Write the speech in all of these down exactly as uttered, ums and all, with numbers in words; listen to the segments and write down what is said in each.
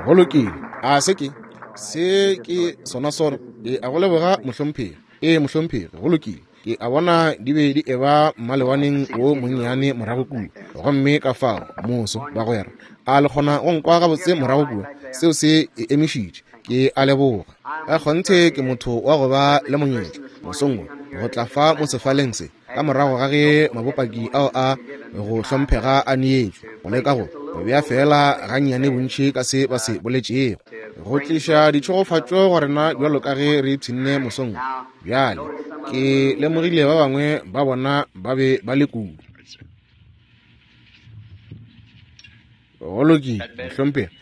Go lokile. A se ke se ke sona sona. Ke a go leboga mohlomphegi. Ee mohlomphegi, go lokile. Ke a bona di be di eba mmalewaneng wo monnyane morago kua. Gomme ka fao moso bagwera, a le kgona go nkwa gabotse morago kua? Seo se e emišitše. Ke a leboga. Ka kgonthe ke motho wa go ba le monyetla mosong wo go tla fa mo sefaleng se, ka morago ga ge mabopaki ao a go hlomphega a neetšwe, go leka go go bea fela gannyane bontši ka se ba se boletšego, go tliša ditšhegofatšo go rena bjalo ka ge re ipshinne mosong wo. Bjale ke lemogile ba bangwe ba bona ba be ba le kudu. Go lokile mohlomphegi,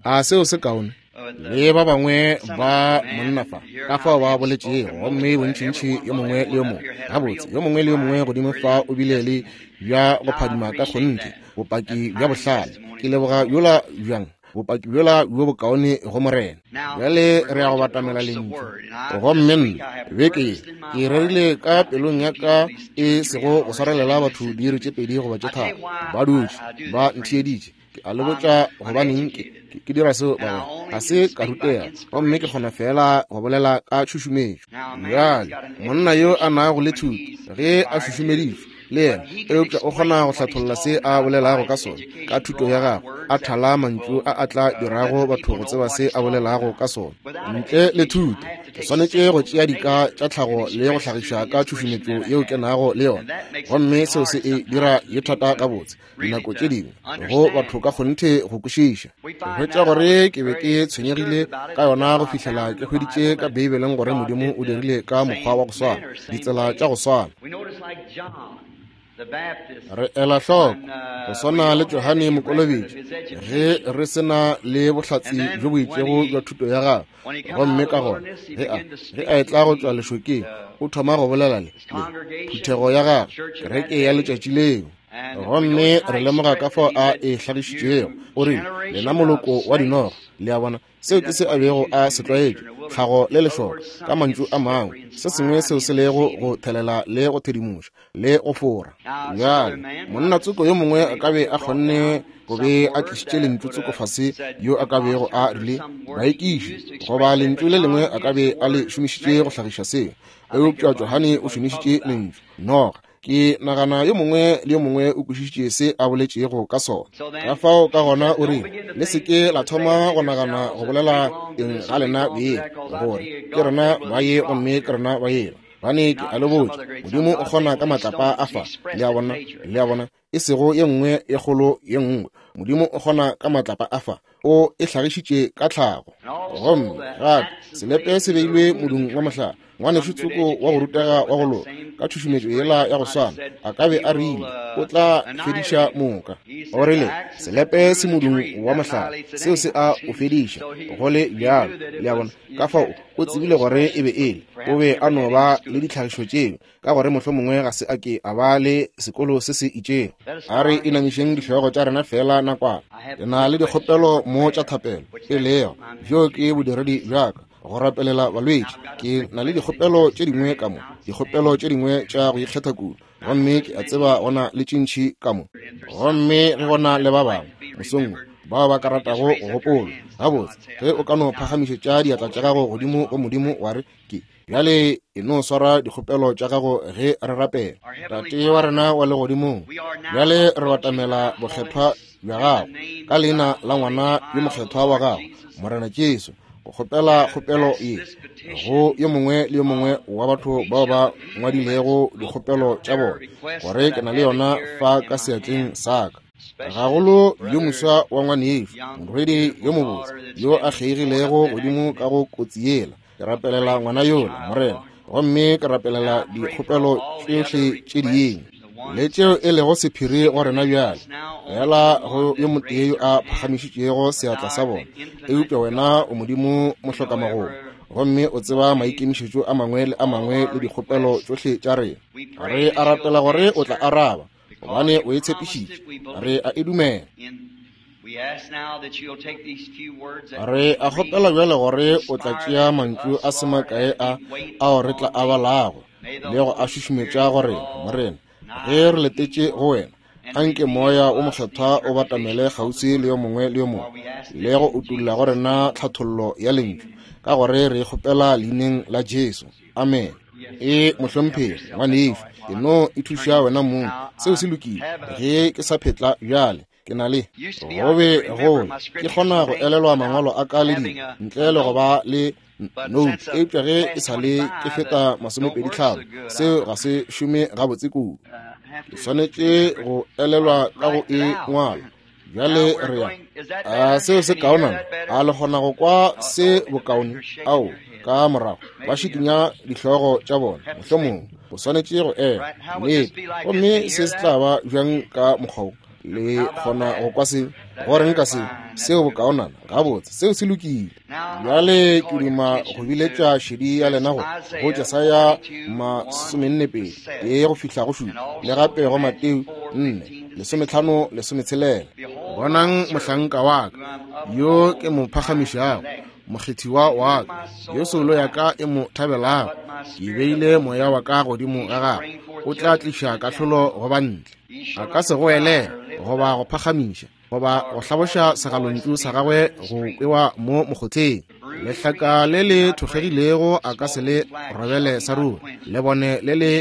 a seo se kaone? Le ba bangwe ba monna fa ka fao ba boletšego, gomme bontšintši yo mongwe le yo mongwe gabotse, yo mongwe le yo mongwe godimo fa o bile le bja go phadima ka kgonthe, bopaki bja bohlale. Ke leboga yola bjang bopaki bjola bjo bokaone go Morena. Bjale re ya go batamela lentšu. Gomme nna beke ye ke rerile ka pelong ya ka e sego go swarelela batho diiri tše pedi goba tše tharo, ba dutše ba ntheeditše. Ke a le botša gobaneng ke ke dira seo bagwera, ga se ka rutega, gomme ke kgona fela go bolela ka tšhušumetšo. Bjale monna yo a nago le thuto, ge a šušumeditšwe le yena, eupša o kgona go hlatholla se a bolelago ka sona ka thuto ya gagwe, a thala mantšu a a tla dirago batho go tseba se a bolelago ka sona. Ntle le thuto, ke swanetše go tšea dika tša tlhago le go hlagiša ka tšhušumetšo yeo ke nago le yona, gomme seo se e dira ye thata gabotse dinako tše dingwe go batho ka kgonthe go kwešiša. Go hwetša gore ke be ke tshwenyegile ka yona go fihlela ke hweditše ka Beibeleng gore Modimo o dirile ka mokgwa wa go swana, ditsela tša go swana. Re ela hloko go swana le Johane Mokolobetši, ge re se na le bohlatse bjo bo itšego bja thuto ya gagwe, gomme ka gona ge a ge a etla go tšwa lešokeng, o thoma go bolela le le phuthego ya gagwe, kereke ya letšatši leo. Gomme re lemoga ka fao a e hlagišitšego. O rile, lena moloko wa dinoga. Le a bona, seo ke se a bego a se tlwaetše, tlhago le lešoka, ka mantšu a mangwe, se sengwe seo se lego go thelela le go thedimoša le go fora. Bjale monna tsoko yo mongwe a ka be a kgonne go be a tlišitše lentšu tsoko fase yo a ka bego a rile baekiši, goba lentšu le lengwe a ka be a le šomišitše go hlagiša seo, eupša Johane o šomišitše lentšu noga. Ke nagana yo mongwe le yo mongwe o kwešišitše se a boletšego ka sona. Ka fao ka gona o rile, le se ke la thoma go nagana go bolela eng ga lena beng, gore ke rena ba ye gomme ke rena ba yela. Bane ke a le botša, Modimo o kgona ka matlapa a fa. Le a bona, le a bona, e sego ye nngwe ye kgolo ye nngwe. Modimo o kgona ka matlapa a fa, o e hlagišitše ka tlhago. Gomme gape selepe se beilwe modung wa mohlare. Ngwanešu tsoko wa go rutega wa go loka, ka tšhušumetšo yela ya go swana, a ka be a rile o tla fediša moka. O rile selepe se modung wa mohlare, seo se a o fediša go le bjalo. Le a bona, ka fao o tsebile gore e be e le, o be a no ba le ditlhagišo tšeo, ka gore mohlomongwe ga se a ke a ba le sekolo se se itšego. A re inamišeng dihlogo tša rena fela nakwana. Ke na le dikgopelo mo tša thapelo, e lego bjo ke bodiredi bja ka, go rapelela balwetši. Ke na le dikgopelo tše dingwe ka mo, dikgopelo tše dingwe tša go ikgetha kudu, gomme ke a tseba go na le tše ntši ka mo. Gomme ge go na le ba bangwe mosong wo bao ba ka ratago go gopola gabotse, ge o ka no phagamišetša diatla tša gago godimo go Modimo wa re, ke bjale e no swara dikgopelo tša gago ge re rapela. Tate wa rena wa legodimong, bjale re batamela bokgethwa bja gago ka leina la ngwana yo mokgethwa wa gago, Morena Jesu, go kgopela kgopelo ye go yo mongwe le yo mongwe wa batho bao ba ngwadilego dikgopelo tša bona, gore ke na le yona fa ka seatleng sa ka. Gagolo yo moswa wa ngwanešo, morwedi yo mobotse yo a kgeigilego godimo ka go kotsi yela, ke rapelela ngwana yola, Morena, gomme ke rapelela dikgopelo tšohle tše dingwe le tšeo e lego sephiri go rena bjale, fela go yo motee yo a phagamišitšego seatla sa bona. Eupša wena o Modimo mohlokamagolo, gomme o tseba maikemišetšo a mangwe le a mangwe le dikgopelo tšohle tša rena. Re a rapela gore o tla araba, gobane o e tshepišitše. Re a e dumela. Re a kgopela bjale gore o tla tšea mantšu a se makae a ao re tla a balago le go a šušumetša go rena, Morena, ge re letetše go wena. Anke Moya o Mokgethwa o batamele kgauswi le yo mongwe le yo mongwe, le go utulla go rena tlhathollo ya lentšu, ka gore re kgopela leineng la Jesu. Amen. E mohlomphegi ngwanešu, ke no ithuša wena mong. Seo se lokile. Ge ke sa phetla bjale, ke na le go be go ke kgona go elelwa mangwalo a ka le di ntle le go ba le note, eupša ge e sa le ke feta masomepedi tlhano, seo ga se šome gabotse kudu. Ke swanetše go elelwa ka go e ngwala. Bjale re ya a seo se kaonana, a le kgona go kwa se bokaone? Ao, ka morago ba šikinya dihlogo tša bona, mohlomongwe o swanetše go ela nnete. Gomme se se tla ba bjang ka mokgwa wo? Le kgona go kwa se? Go reng ka se? Seo bokaonana gabotse, seo se lokile. Bjale ke duma go biletša šedi ya lena go go Jesaya masomenne pedi e go fihla go šupa, le gape go Mateo nne lesometlhano lesometshelela. Bonang mohlanka wa ka yo ke mo phagamišago, mokgethiwa wa ka, yo soulo ya ka e mo thabelago. Ke beile moya wa ka godimo ga gagwe, o tla tliša kahlolo go bantle. A ka se goelele goba go phagamiša goba go hlaboša segalontšu sa gagwe go kwewa mo mokgotheng. Lehlaka le le thokgegilego a ka se le robele sa ruri, le bone le le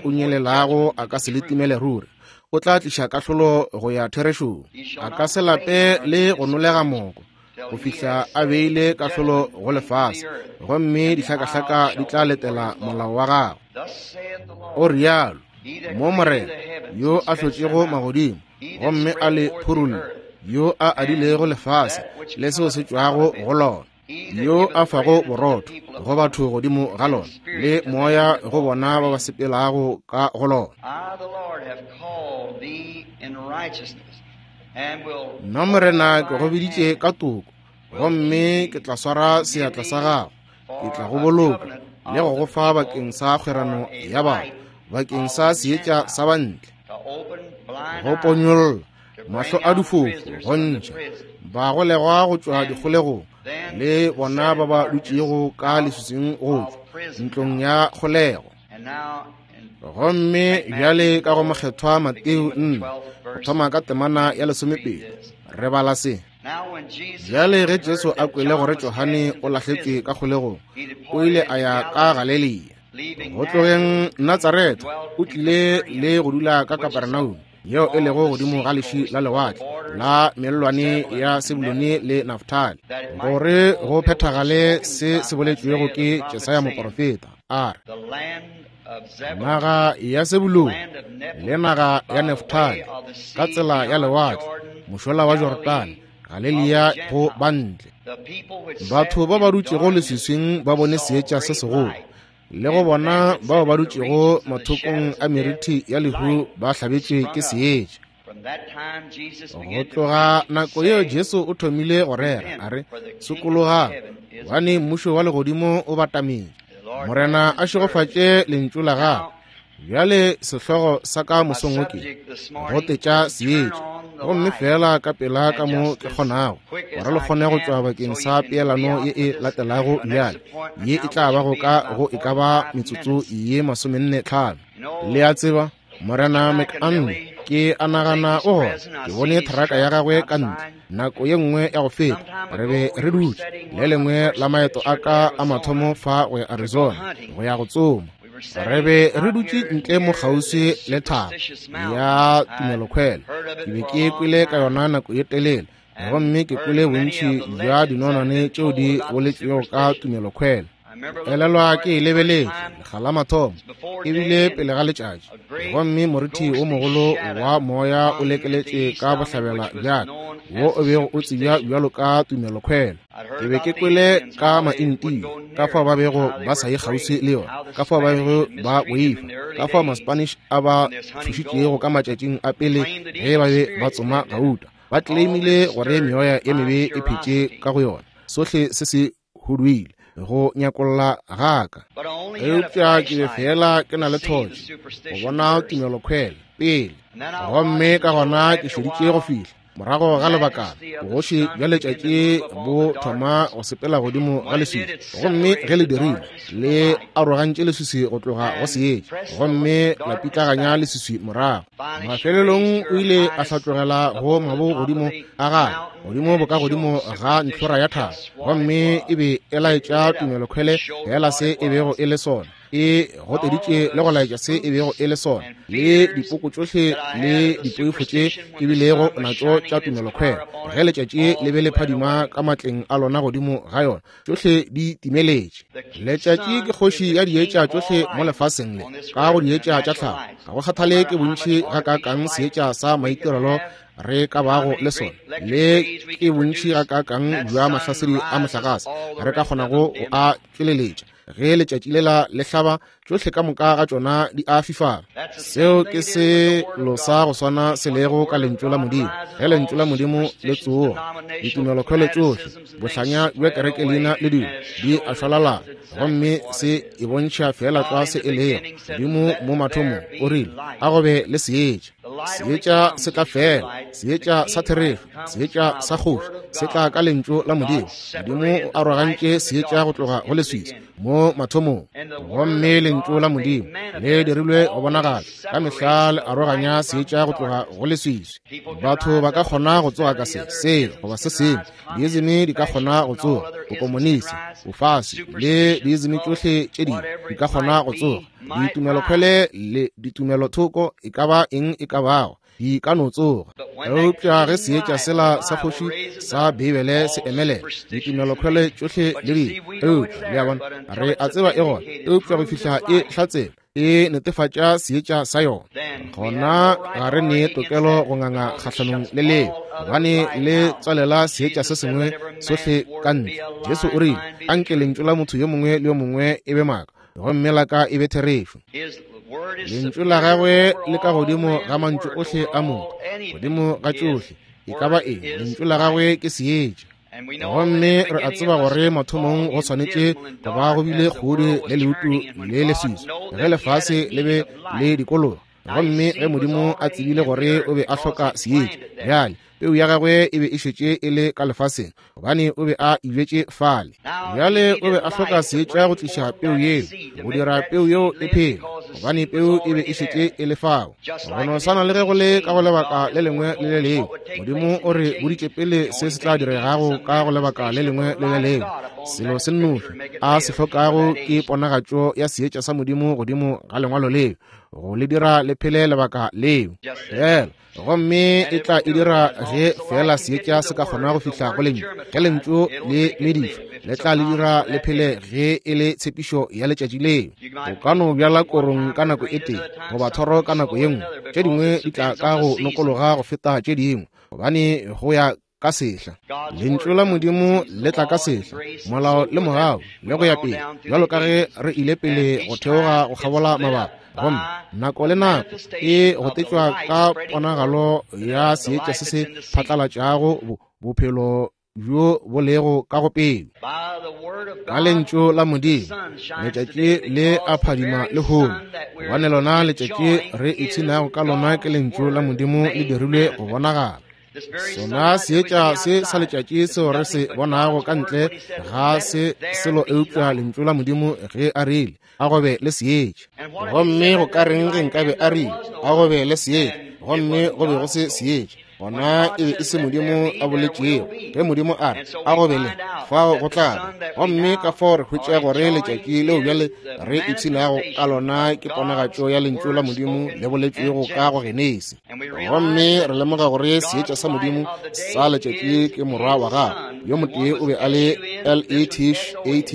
unyelelago a ka se le timele ruri. O tla tliša kahlolo go ya therešong. A ka se lape le go nolega moko go fihla a beile kahlolo go lefase, gomme dihlakahlaka di tla letela molao wa gagwe. O rialo mo Morena yo a hlotšego magodimo gomme a le phurulla, yo a adilego lefase le seo se tšwago go lona, yo a fago borotho go batho godimo ga lona, le moya go bona ba ba sepelago ka go lona. Nna Morena ke go biditše ka toko, gomme ke tla swara seatla sa gago, ke tla go boloka le go go fa bakeng sa kgwerano ya batho, bakeng sa seetša sa bantle, go ponyolla mahlo a difofu, go ntšha bagolegwa go tšwa dikgolegong, le bona ba ba dutšego ka leswiswing go tšwa ntlong ya kgolego. Gomme bjale ka go mokgethwa Mateo nne, go thoma ka temana ya lesomepedi, re bala se. Bjale ge Jesu a kwele gore Johane o lahletšwe ka kgolegong, o ile a ya ka Galilea. Go tlogeng Natsaretha o tlile le go dula ka Kapernaum, yeo e lego godimo ga leši la lewatle la mellwane ya Sebulone le Naftali, gore go phethagale se se boletšwego ke Jesaya moporofeta, a re: Naga ya Sebulone le naga ya Naftali ka tsela ya lewatle, mošola wa Jordane, Galilea go bantle. Batho ba ba dutšego leswiswing ba bone seetša se segolo, le go bona bao ba dutšego mathokong a meriti ya lehu ba hlabetšwe ke seetša. Go tloga nako yeo Jesu o thomile go rera a re: Sokologang, gobane mmušo wa legodimo o batametše. Morena a šegofatše lentšu la gagwe. Bjale sehlogo sa ka mosong wo ke go tetša seetša, gomme fela ka pela ka mo ke kgonago, gore le kgone go tšwa bakeng sa peelano ye e latelago bjale, ye e tla bago ka go e ka ba metsotso ye masomenne tlhano. Le a tseba, Morena McAnn, ke a nagana o gona, ke bone thraka ya gagwe ka ntle nako ye nngwe ya go feta. Re be re dutše le lengwe la maeto a ka a mathomo fa go ya Arizona go ya go tsoma. Re be re dutše ntle mo kgauswi le thaba ya tumelokhwele. Ke be ke kwele ka yona nako ye telele, gomme ke kwele bontši bja dinonwane tšeo di boletšwego ka tumelokhwele. Elelwa ke e lebeletše lekga la mathomo, ebile pele ga letšatši, gomme morithi wo mogolo wa moya o lekeletše ka bohlabela bjaka, wo o bego o tsebja bjalo ka tumelokhwele. Ke be ke kwele ka maintia, ka fao ba bego ba sa ye kgauswi le yona, ka fao ba bego ba boifa, ka fao ma-Spanish a ba tšhošitšego ka matšatšing a pele ge ba be ba tsoma gauta. Ba claimile gore meoya ye mebe e phetše ka go yona. Sohle se se huduile go nyakolla gaka, eupša ke be fela ke na le thotše go bona tumelokhwele pele, gomme ka gona ke šeditše go fihla. Morago ga lebakana, bogoši bja letšatši bo thoma go sepela godimo ga leswiswi. Gomme ge le dirile, le arogantše leswiswi go tloga go seetša, gomme la pitlaganya leswiswi morago. Mafelelong o ile a hlatlogela go mabo godimo a gagwe, godimo boka godimo ga ntlhora ya thaba, gomme e be e laetša tumelokhwele fela se e bego e le sona. E goteditše le go laetša se e bego e le sona, le dipoko tšohle le dipoifo tše ke bilego natšo tša tumelokhwele. Ge letšatši le be le phadima ka matleng a lona godimo ga yona, tšohle di timeletše. Letšatši ke kgoši ya dietša tšohle mo lefaseng le, ka go dietša tša tlhago. Ga go kgathale ke bontši gakaakang seetša sa maitirelo re ka bago le sona, le ke bontši gakaakang bja mahlasedi a mohlagase re ka kgonago go a tšweleletša. Ge letšatši lela le hlaba, tšohle ka moka ga tšona di a fifala. Seo ke selo sa go swana se lego ka lentšu la Modimo. Ge lentšu la Modimo le tsoga, ditumelokhwele tšohle, bohlanya bja kereke leina le dilo di a šwalalana, gomme se e bontšha fela tlwa se e lego. Modimo mo mathomong o rile, a go be le seetša. Seetša se tla fela, seetša sa therešo, seetša sa kgoši se tla ka lentšu la Modimo. Modimo o arogantše seetša go tloga go leswiswi mo mathomong, gomme lentšu la Modimo le dirilwe go bonagala ka mehla le aroganya seetša go tloga go leswiswi. Batho ba ka kgona go tsoga ka se se goba se sengwe, diizimi di ka kgona go tsoga, bokomonisi, bofasi le diizimi tšohle tše dingwe di ka kgona go tsoga, ditumelokhwele le ditumelothoko e ka ba eng e ka bago di ka no tsoga. Eupša ge seetša sela sa kgoši sa Beibele se emelela, ditumelokhwele tšohle le dingwe, eupša le a bona, re a tseba e gona, eupša go fihla e hlatsela, e netefatša seetša sa yona, gona ga re ne tokelo go nganga kgahlanong le leo, gobane le tswalela seetša se sengwe sohle ka ntle. Jesu o rile, anke lentšu la motho yo mongwe le yo mongwe e be maaka, gomme la ka e be therešo. Lentšu la gagwe le ka godimo ga mantšu ohle a motho, godimo ga tšohle, e ka ba eng, lentšu la gagwe ke seetša. Gomme re a tseba gore mathomong go swanetše go ba go bile kgodi le leutu le leswiswi ge lefase le be le dikologa. Gomme ge Modimo a tsebile gore o be a hloka seetša, bjale peu ya gagwe e be e šetše e le ka lefaseng, gobane o be a ibetše fale. Bjale o be a hloka seetša go tliša peu yeo, go dira peu yeo e phele, gobane peu e be e šetše e le fao. Go no swana le ge go le ka go lebaka le lengwe le le lengwe, Modimo o re boditše pele se se tla diregago ka go lebaka le lengwe le le lengwe. Selo se nnoši a se hlokago ke ponagatšo ya seetša sa Modimo godimo ga lengwalo leo, go le dira le phele lebaka leo fela. Gomme e tla e dira ge fela seetša se ka kgona go fihla go lentšu. Ge lentšu le medišwa, le tla le dira le phele ge e le tshepišo ya letšatši leo. O ka no bjala korong ka nako e tee goba thoro ka nako ye nngwe, tše dingwe di tla ka go nokologa go feta tše dingwe, gobane go ya ka sehla. Lentšu la Modimo le tla ka sehla, molao le mogau le go ya pele, bjalo ka ge re ile pele go theoga go kgabola mabaka. Gomme nako le nako e gotetšwa ka ponagalo ya seetša se se phatlalatšago bophelo bjo bo lego ka go peu. Ka lentšu la Modimo letšatši le a phadima lehono, gobane lona letšatši re ipshinago ka lona ke lentšu la Modimo le dirilwe go bonagala. Sona seetša se sa letšatši seo re se bonago ka ntle ga se selo eupša lentšu la Modimo ge a rile, a go be le seetša. Gomme go ka reng ge nkabe a rile, a go be le seetša, gomme go be go se seetša, gona e be e se Modimo a boletšego. Ge Modimo a re, a go be le, fao go tla ba. Gomme ka fao re hwetša gore letšatši leo bjale re ipshinago ka lona ke ponagatšo ya lentšu la Modimo le boletšwego ka go Genesi. Gomme re lemoga gore seetša sa Modimo sa letšatši ke morwa wa gagwe. Yo motee o be a le L E T A T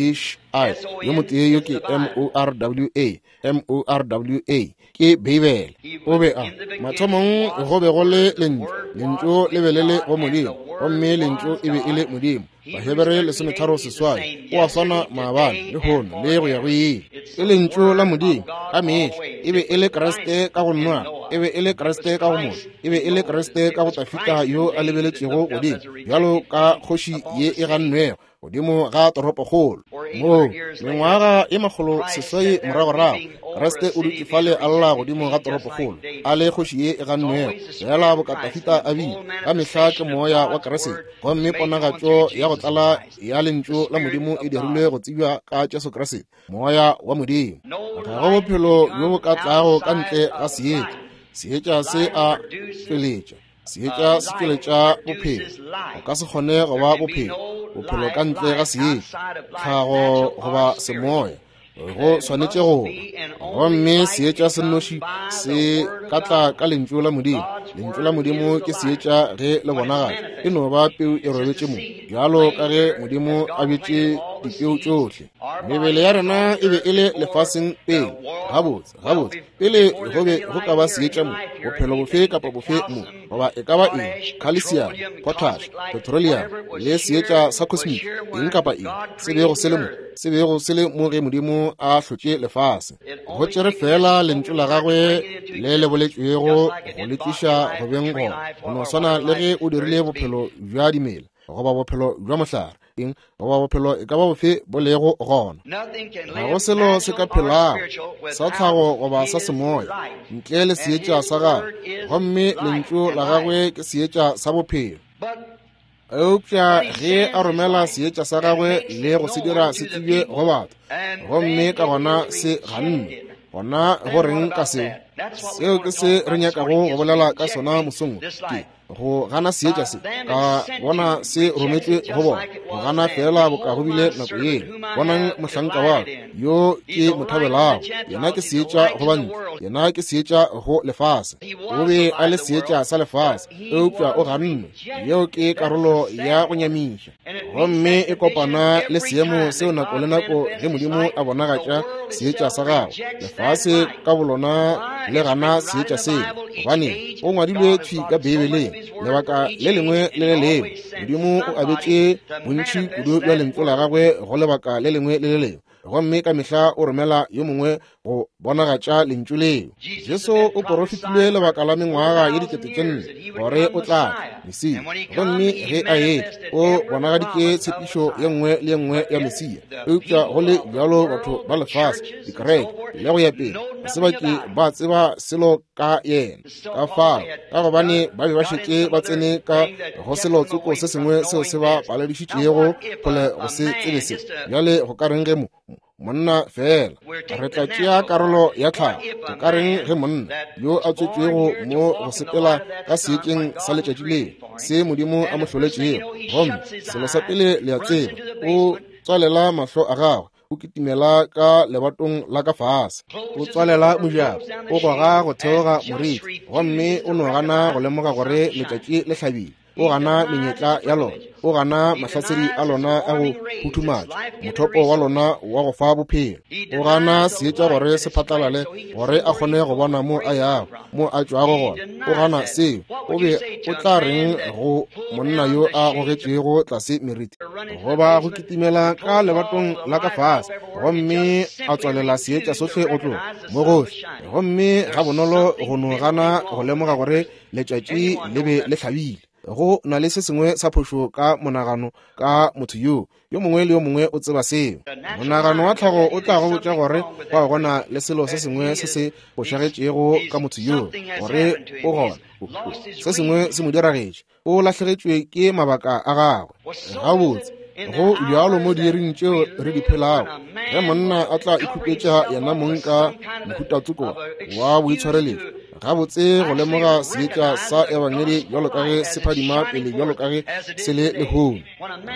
I, yo motee yo ke M O R W A, M O R W A, ke Beibele. O be a mathomong go be go le lentšu, lentšu le be le le go Modimo, gomme lentšu e be e le Modimo. Bahebere lesometharo seswai, o a swana maabane, lehono le go ya go ile. Ke lentšu la Modimo ka mehla, e be e le Kriste ka go Noa. E be e le Kriste ka go Moshe, e be e le Kriste ka go Dafida yo a lebeletšego godimo bjalo ka kgoši ye e gannwego godimo ga toropokgolo. Moo mengwaga ye makgolo seswai moragorago, Kriste o dutše fale a lla godimo ga toropokgolo, a le kgoši ye e gannwego, fela boka Dafida a bile. Ka mehla ke moya wa Kriste, gomme ponagatšo ya go tlala ya lentšu la Modimo e dirilwe go tsebja ka Jesu Kriste, moya wa Modimo. Ga go bophelo bjo bo ka tlago ka ntle ga seetša. Seetša se a tšweletša, seetša se tšweletša bophelo. O ka se kgone go ba bophelo, bophelo ka ntle ga seetša, tlhago goba semoya, go swanetše go ba. Gomme seetša se nnoši se ka tla ka lentšu la Modimo. Lentšu la Modimo ke seetša ge le bonagala, e no ba peu e robetše mo, bjalo ka ge Modimo a bjetše dipeu tšohle. Mebele ya rena e be e le lefaseng pele, gabotse gabotse pele go be go ka ba seetša mo, bophelo bofe kapa bofe mo, goba e ka ba eng, calcium, potash, petroleum le seetša sa cosmic, eng kapa eng se bego se le mo, se bego se le mo ge Modimo a hlotše lefase. Go tšere fela lentšu la gagwe le le boletšwego go le tliša go beng gona, go no swana le ge o dirile bophelo bja dimela goba bophelo bja mohlare, eng goba bophelo e ka ba bofe bo lego gona. Ga go selo se ka phelago sa tlhago goba sa semoya ntle le seetša sa gagwe, gomme lentšu la gagwe ke seetša sa bophelo. Eupša ge a romela seetša sa gagwe le go se dira se tsebje go batho, gomme ka gona se ganne, gona go reng ka seo? Seo ke se re nyakago go bolela ka sona mosong, ke go gana seetša se, ka bona se rometšwe go bona, go gana fela boka go bile nako yela. Bonang mohlanka wa ka yo ke mo thabelago, yena ke seetša go bantle, yena ke seetša go lefase. O be a le seetša sa lefase, eupša o gannwe. Yeo ke karolo ya go nyamiša, gomme e kopana le seemo seo nako le nako ge Modimo a bonagatša seetša sa gagwe, lefase ka bolona le gana seetša seo, gobane go ngwadilwe thwi ka Beibeleng. Lebaka le lengwe le le lengwe Modimo o abetše bontši kudu bja lentšu la gagwe go lebaka le lengwe le le lengwe, gomme ka mehla o romela yo mongwe go bonagatša lentšu leo. Jesu o porofetile lebaka la mengwaga ye dikete tše nne gore o tla tla, Mesia, gomme ge a etla o bonagaditše tshepišo ye nngwe le ye nngwe ya Mesia. Eupša go le bjalo batho ba lefase, dikereke le go ya pele, ga se ba ke ba tseba selo ka yena. Ka fao, ka gobane ba be ba šetše ba tsene ka go selo tsoko se sengwe seo se ba paledišitšego kgole go se tsebe se. Bjale go ka reng ge mo monna fela re tla tšea karolo ya tlhago? Go ka reng ge monna yo a tswetšwego mo go sepela ka seetšeng sa letšatši leo se Modimo a mo hloletšego, gomme selo sa pele le a tseba, o tswalela mahlo a gagwe, o kitimela ka lebatong la ka fase, o tswalela mojako, o goga go theoga moriti, gomme o no gana go lemoga gore letšatši le hlabile. O gana menyetla ya lona, o gana mahlasedi a lona a go phuthumatša, mothopo wa lona wa go fa bophelo. O gana seetša gore se phatlalale, gore a kgone go bona mo a yago, mo a tšwago gona. O gana seo. O be o tla reng go monna yo a gogetšego tlase meriti, goba go kitimela ka lebatong la ka fase, gomme a tswalela seetša sohle go tloga mo gohle, gomme ga bonolo go no gana go lemoga gore letšatši le be le hlabile? Go na le se sengwe sa phošo ka monagano ka motho yo. Yo mongwe le yo mongwe o tseba seo. Monagano wa tlhago o tla go botša gore go gona le selo se sengwe se se fošagetšego ka motho yo, gore o gona se sengwe se mo diragetše, o lahlegetšwe ke mabaka a gagwe. Gabotse go bjalo mo diiring tšeo re di phelago, ge monna a tla ikhupetša yena mong ka mohutatsoko wa boitshwareletšo, gabotse go lemoga seetša sa ebangedi bjalo ka ge se phadima pele bjalo ka ge se le lehono.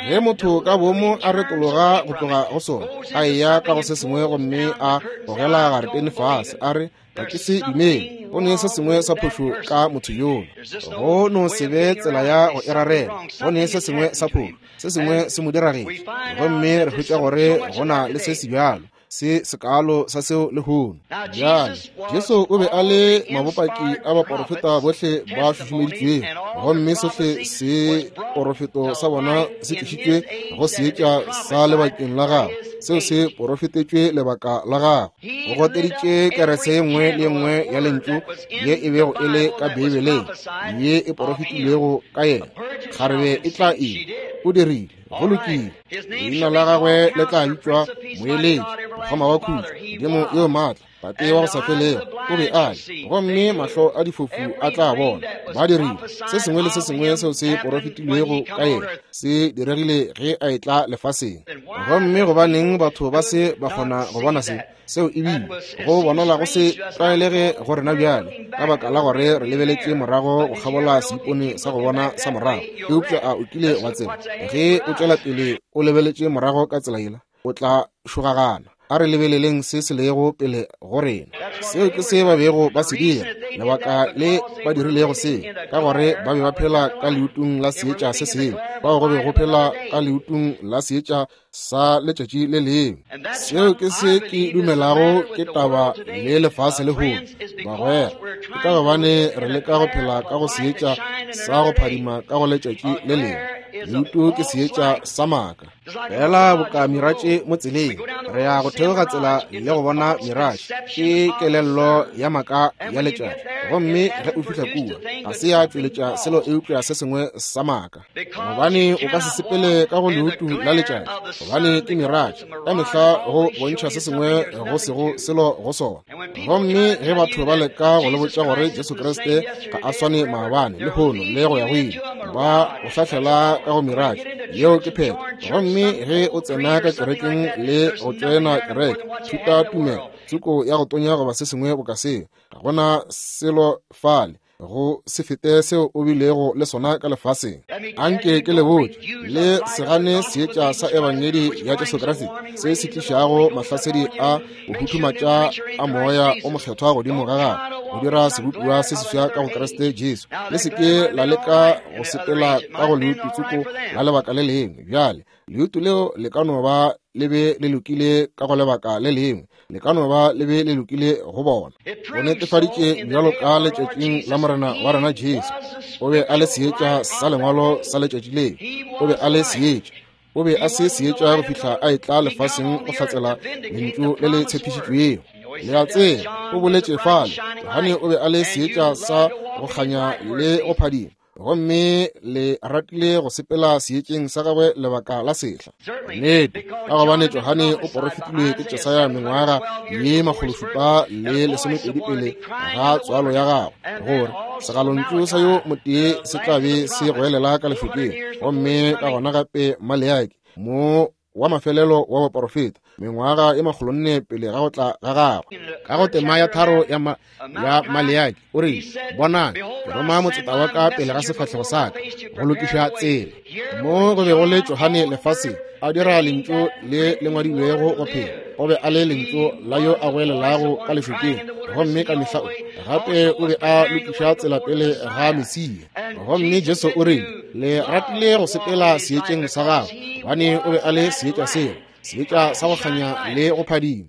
Ge motho ka boomo a retologa go tloga go sona, a eya ka go se sengwe gomme a gogela garetene fase, a re, ga ke se dumele, go ne se sengwe sa phošo ka motho yola. Go no se be tsela ya go e rarela, go ne se sengwe sa phošo, se sengwe se mo diragetše. Gomme re hwetša gore go na le se se bjalo se sekaalo sa seo lehono. Bjale Jesu o be a le mabopaki a baporofeta bohle ba šušumeditšwego, gomme sohle se porofeto sa bona se tlišitšwe go seetša sa lebakeng la gagwe, seo se porofetetšwe lebaka la gagwe. O goteditše kerese ye nngwe le ye nngwe ya lentšu ye e bego e le ka Beibeleng ye e porofetilwego ka yena. Kgarebe e tla ima, o dirile, go lokile. Leina la gagwe le tla bitšwa Moeletši, Mokgoma wa Khutšo, Modimo yo maatla, Tate wa go sa felego. O be a le, gomme mahlo a difofu a tla bona. Ba dirile se sengwe le se sengwe seo se porofetilwego ka yena se diregile ge a etla lefaseng. Gomme gobaneng batho ba se ba kgona go bona se? Seo ebile go bonala go se tlwaelege go rena bjale, ka baka la gore re lebeletše morago go kgabola seipone sa go bona sa morago. Eupša a o kile wa tseba, ge o tšwela pele o lebeletše morago ka tsela yela, o tla šogagana. A re lebeleleng se se lego pele go rena. Seo ke se ba bego ba se dira, lebaka le ba dirilego se, ka gore ba be ba phela ka leutung la seetša se sengwe, bao go be go phela ka leutung la seetša sa letšatši le lengwe. Seo ke se ke dumelago ke taba le lefase lehono, bagwera, ke ka gobane re leka go phela ka go seetša sa go phadima ka go letšatši le lengwe. Leutu ke seetša sa maaka. Fela boka miratše mo tseleng, re ya go theoga tsela le go bona miratše, ke kelello ya maaka ya letšatši. Gomme ge o fihla kua, ga se ya tšweletša selo eupša se sengwe sa maaka, gobane o ka se sepele ka go leutu la letšatši, gobane ke miratše ka mehla go bontšha se sengwe go sego selo go sona. Gomme ge batho ba leka go le botša gore Jesu Kriste ga a swane maabane, lehono le go ya go ile, ba go hlahlela ka go miratše. Yeo ke phetho. Gomme ge o tsena ka kerekeng le go tšoena kereke, thuta tumelo, tsoko ya go tonya goba se sengwe boka seo, ga gona selo fale go se fete seo o bilego le sona ka lefaseng. Anke ke le botše, le se gane seetša sa ebangedi ya Jesu Kriste se se tlišago mahlasedi a go huthumatša a moya o mokgethwa godimo ga gagwe, go dira sebopiwa se seswa ka go Kriste Jesu. Le se ke la leka go sepela ka go leutu tsoko la lebaka le lengwe. Bjale leutu leo le ka no ba le be le lokile ka go lebaka le lengwe, le ka no ba le be le lokile go bona. Go netefaditše bjalo ka letšatšing la Morena wa rena Jesu. O be a le seetša sa lengwalo sa letšatši leo. O be a le seetša. O be a se seetša go fihla a etla lefaseng go hlatsela lentšu le le tshepišitšwego. Le a tseba, o boletše fale, Johane o be a le seetša sa go kganya le go phadima, gomme le ratile go sepela seetšeng sa gagwe lebaka la sehla. Nnete, ka gobane Johane o porofetilwe ke Jesaya mengwaga ye makgološupa le lesomepedi pele ga tswalo ya gagwe, gore segalontšu sa yo motee se tla be se goelela ka lešokeng. Gomme ka gona gape Maleaki mo wa mafelelo wa baporofeta, mengwaga e makgolonne pele ga go tla ga gagwe. Ka go tema ya tharo ya, ma, ya Maleaki o re, bonang, ke roma motseta wa ka pele ga sefahlego sa ka go lokiša tsela. Mo go be go le Johane lefaseng a dira lentšu le le ngwadilwego go phela. O be a le lentšu la yo a goelelago ka lešokeng, gomme ka mehla o gape o be a lokiša tsela pele ga Mesia. Gomme Jesu o rile, le ratile go sepela seetšeng sa gagwe, gobane o be a le seetša seo, seetša sa go kganya le go phadima.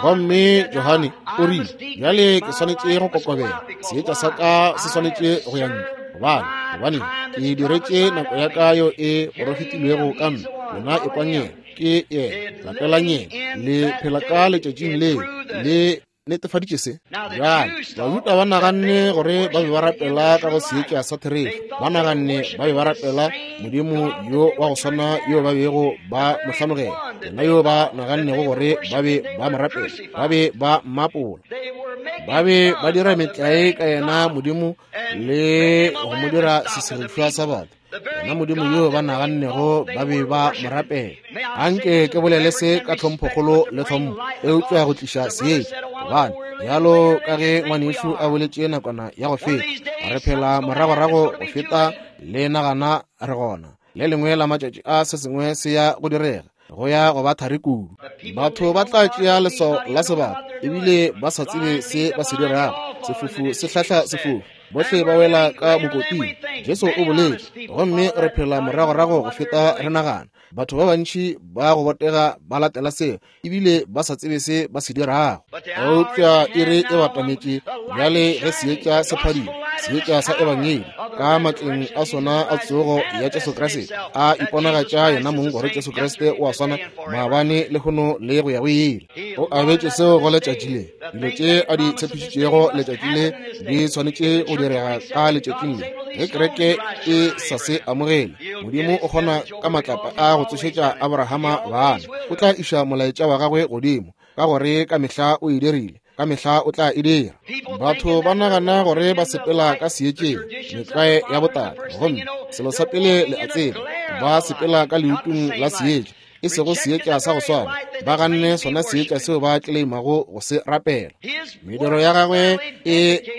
Gomme Johane o rile, bjale ke swanetše go kokobela, seetša sa ka se swanetše go ya ntle, gobane gobane ke diretše nako ya ka yo e porofetilwego ka nna. Lena ekwang yena, ke yena, latelang yena, le phela ka letšatšing leo, le netefaditše se. Bjale Bajuda ba naganne gore ba be ba rapela ka go seetša sa therešo, ba naganne ba be ba rapela Modimo yo wa go swana yo ba bego ba mo hlanogela, yena yo ba nagannego gore ba be ba mo rapela, ba be ba mmapola, ba be ba dira metlae ka yena Modimo le go mo dira sesirišwa sa batho, yena Modimo yo ba nagannego ba be ba mo rapela. Anke ke bolele se ka tlhomphokgolo le tlhompho, eupša go tliša seetša, gobane bjalo ka ge ngwanešu a boletše nakwana ya go feta, re phela moragorago go feta le nagana re gona. Le lengwe la matšatši a se sengwe se ya go direga, go ya go ba thari kudu. Batho ba tla tšea leswao la sebata ebile ba sa tsebe se ba se dirago. Sefofu se hlahla sefofu, Bohle ba wela ka mokoting. Jesu o boletše, gomme re phela moragorago go feta re nagana. Batho ba bantši ba go botega ba latela seo, ebile ba sa tsebe se ba se dirago. Eupša iri e batametše bjale ge seetša se phadima, seetša sa ebangedi ka matleng a sona a tsogo ya Jesu Kriste, a iponagatša yena mong gore Jesu Kriste o a swana maabane, lehono le go ya go ile. O abetše seo go letšatši le. Dilo tše a di tshepišitšego letšatši le di swanetše go direga ka letšatšing le. Ge kereke e sa se amogele, Modimo o kgona ka matlapa a go tsošetša Abrahama bana. O tla iša molaetša wa gagwe godimo, ka gore ka mehla o e dirile, ka mehla o tla e dira. Batho ba nagana gore ba sepela ka seetšeng, metlwae ya botata, gomme selo sa pele le a tseba, ba sepela ka leutung la seetša, e sego seetša sa go swana. Ba ganne sona seetša seo ba tleimago go se rapela. Mediro ya gagwe e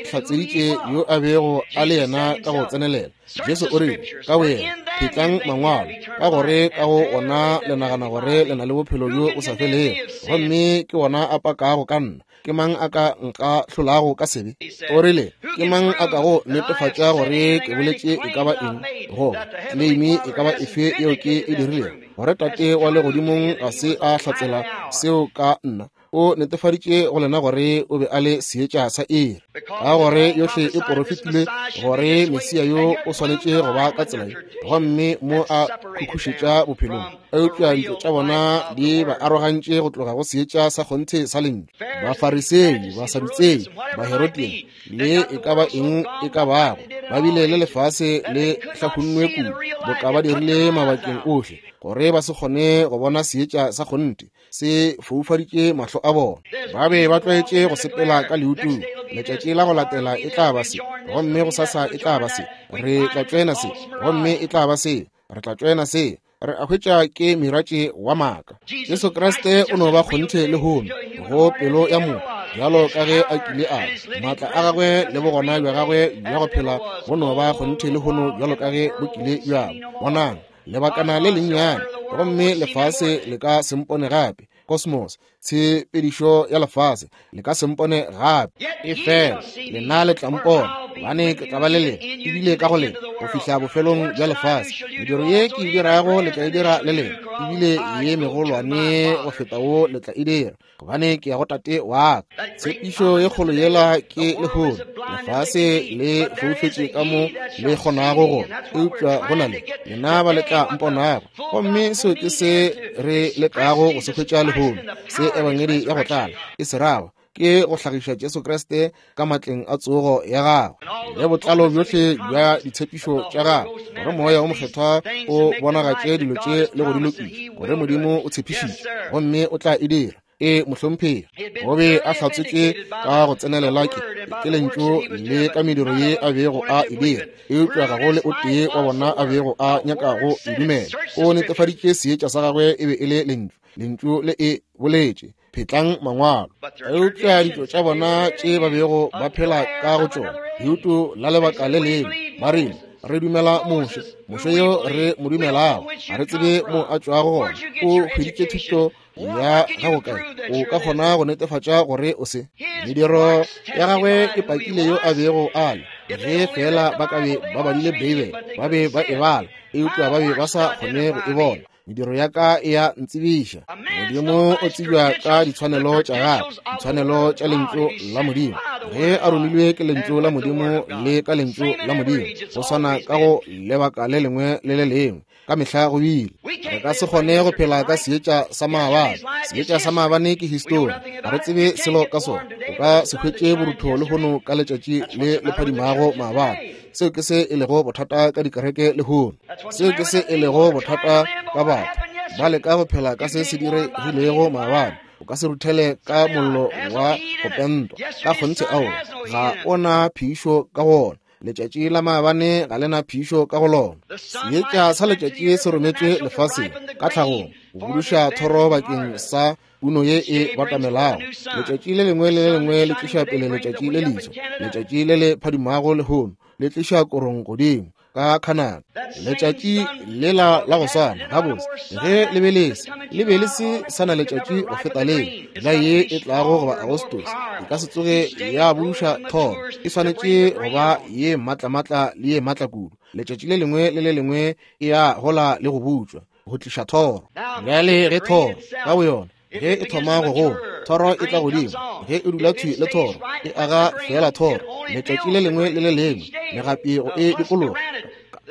hlatseditše yo a bego a le yena ka go tsenelela. Jesu o rile ka boyena, phetlang mangwalo, ka gore ka go ona le nagana gore le na le bophelo bjo bo sa felego, gomme ke ona a pakago ka nna. Ke mang a ka nka hlolago ka sebe? O rile, ke mang a ka go netefatša gore ke boletše e ka ba eng, goba kleimi e ka ba efe yeo ke e dirilego, gore Tate wa legodimong ga se a hlatsela seo ka nna? O netefaditše go lena gore o be a le seetša sa iri, ka gore yohle e porofetile gore Mesia yo o swanetše go ba ka tsela ye, gomme mo a khukhušetša bophelong. Eupša ditšo tša bona di ba arogantše go tloga go seetša sa kgonthe sa lentšu. Bafarisei, Basadutsei, Baherodian le e ka ba eng e ka bago, ba bile le lefase le hlahunnwe kudu boka ba dirile mabakeng ohle, gore ba se kgone go bona seetša sa kgonthe se foufaditše mahlo a bona. Ba be ba tlwaetše go sepela ka leutung. Letšatši la go latela e tla ba se, gomme gosasa e tla ba se. Re tla tšoena se, gomme e tla ba se. Re tla tšoena se. Re a hwetša ke miratše wa maaka. Jesu Kriste o no ba kgonthe lehono go pelo ya motho, bjalo ka ge a kile a ba. Maatla a gagwe le bogona bja gagwe bja go phela bo no ba kgonthe lehono bjalo ka ge bo kile bja ba. Bonang, lebakana le lennyane, gomme lefase le ka se mpone gape. Cosmos, tshepedišo ya lefase, le ka se mpone gape. Efela lena le tla mpona, gobane ke tla ba le lena, ebile ka go lena, go fihla bofelong bja lefase. Mediro ye ke e dirago le tla e dira le lena, ebile ye megolwane go feta wo le tla e dira, gobane ke ya go Tate wa ka. Tshepišo ye kgolo yela ke lehono. Lefase le foufetše ka mo le kgonago go, eupša go na le lena ba le tla mponago. Gomme seo ke se re lekago go se hwetša lehono, se ebangedi ya go tlala e se rago, ke go hlagiša Jesu Kriste ka matleng a tsogo ya gagwe le botlalo bjohle bja ditshepišo tša gagwe, gore Moya o Mokgethwa o bonagatše dilo tše le go di lokiša, gore Modimo o tshepišitše gomme o tla e dira. E mohlomphegi, o be a hlatsotše ka go tsenelela ke ke lentšu le ka mediro ye a bego a e dira, eupša ga go le o tee wa bona a bego a nyaka go e dumela. O netefaditše seetša sa gagwe e be e le lentšu, lentšu le e boletše. Phetlang mangwalo. Eupša ditšo tša bona tše ba bego ba phela ka go tšona, leuto la lebaka le lengwe, ba rile, re dumela Moshe, Moshe yo re mo dumelago, ga re tsebe mo a tšwago gona. O hweditše thuto ya gago kae? O ka kgona go netefatša gore o se. Mediro ya gagwe e pakile yo a bego a le. Ge fela ba ka be ba badile Beibele, ba be ba e bala, eupša ba be ba sa kgone go e bona. Mediro ya ka e a ntsebiša. Modimo o tsebja ka ditshwanelo tša gagwe, ditshwanelo tša lentšu la Modimo. Ge a romilwe ke lentšu la Modimo le ka lentšu la Modimo, go swana ka go lebaka le lengwe le le lengwe, ka mehla go bile. Re ka se kgone go phela ka seetša sa maabane. Seetša sa maabane ke histori, ga re tsebe selo ka sona. O ka se hwetše borutho lehono ka letšatši le le phadimago maabane. Seo ke se e lego bothata ka dikereke lehono. Seo ke se e lego bothata ka batho. Ba leka go phela ka se se diregilego maabane. O ka se ruthele ka mollo wa go pentwa. Ka kgonthe ao, ga o na phišo ka go ona. Letšatši la maabane ga le na phišo ka go lona. Seetša sa letšatši se rometšwe lefaseng ka tlhagong go buduša thoro bakeng sa puno ye e batamelago. Letšatši le lengwe le le lengwe le tliša pele letšatši le leswa. Letšatši le le phadimago lehono le tliša korong godimo. ka Canada. Letšatši lela la go swana, gabotse, ge le be le se, le be le se sa na letšatši go feta le la ye e tlago goba Agostose, e ka se tsoge ya buša thoro. E swanetše go ba ye matlamatla le ye matla kudu. Letšatši le lengwe le le lengwe e ya gola le go butšwa go tliša thoro. Bjale ge thoro ka boyona ge e thoma go gola, thoro e tla godimo. Ge e dula thwi le thoro, e aga fela thoro. Letšatši le lengwe le le lengwe megapi go e dikologa,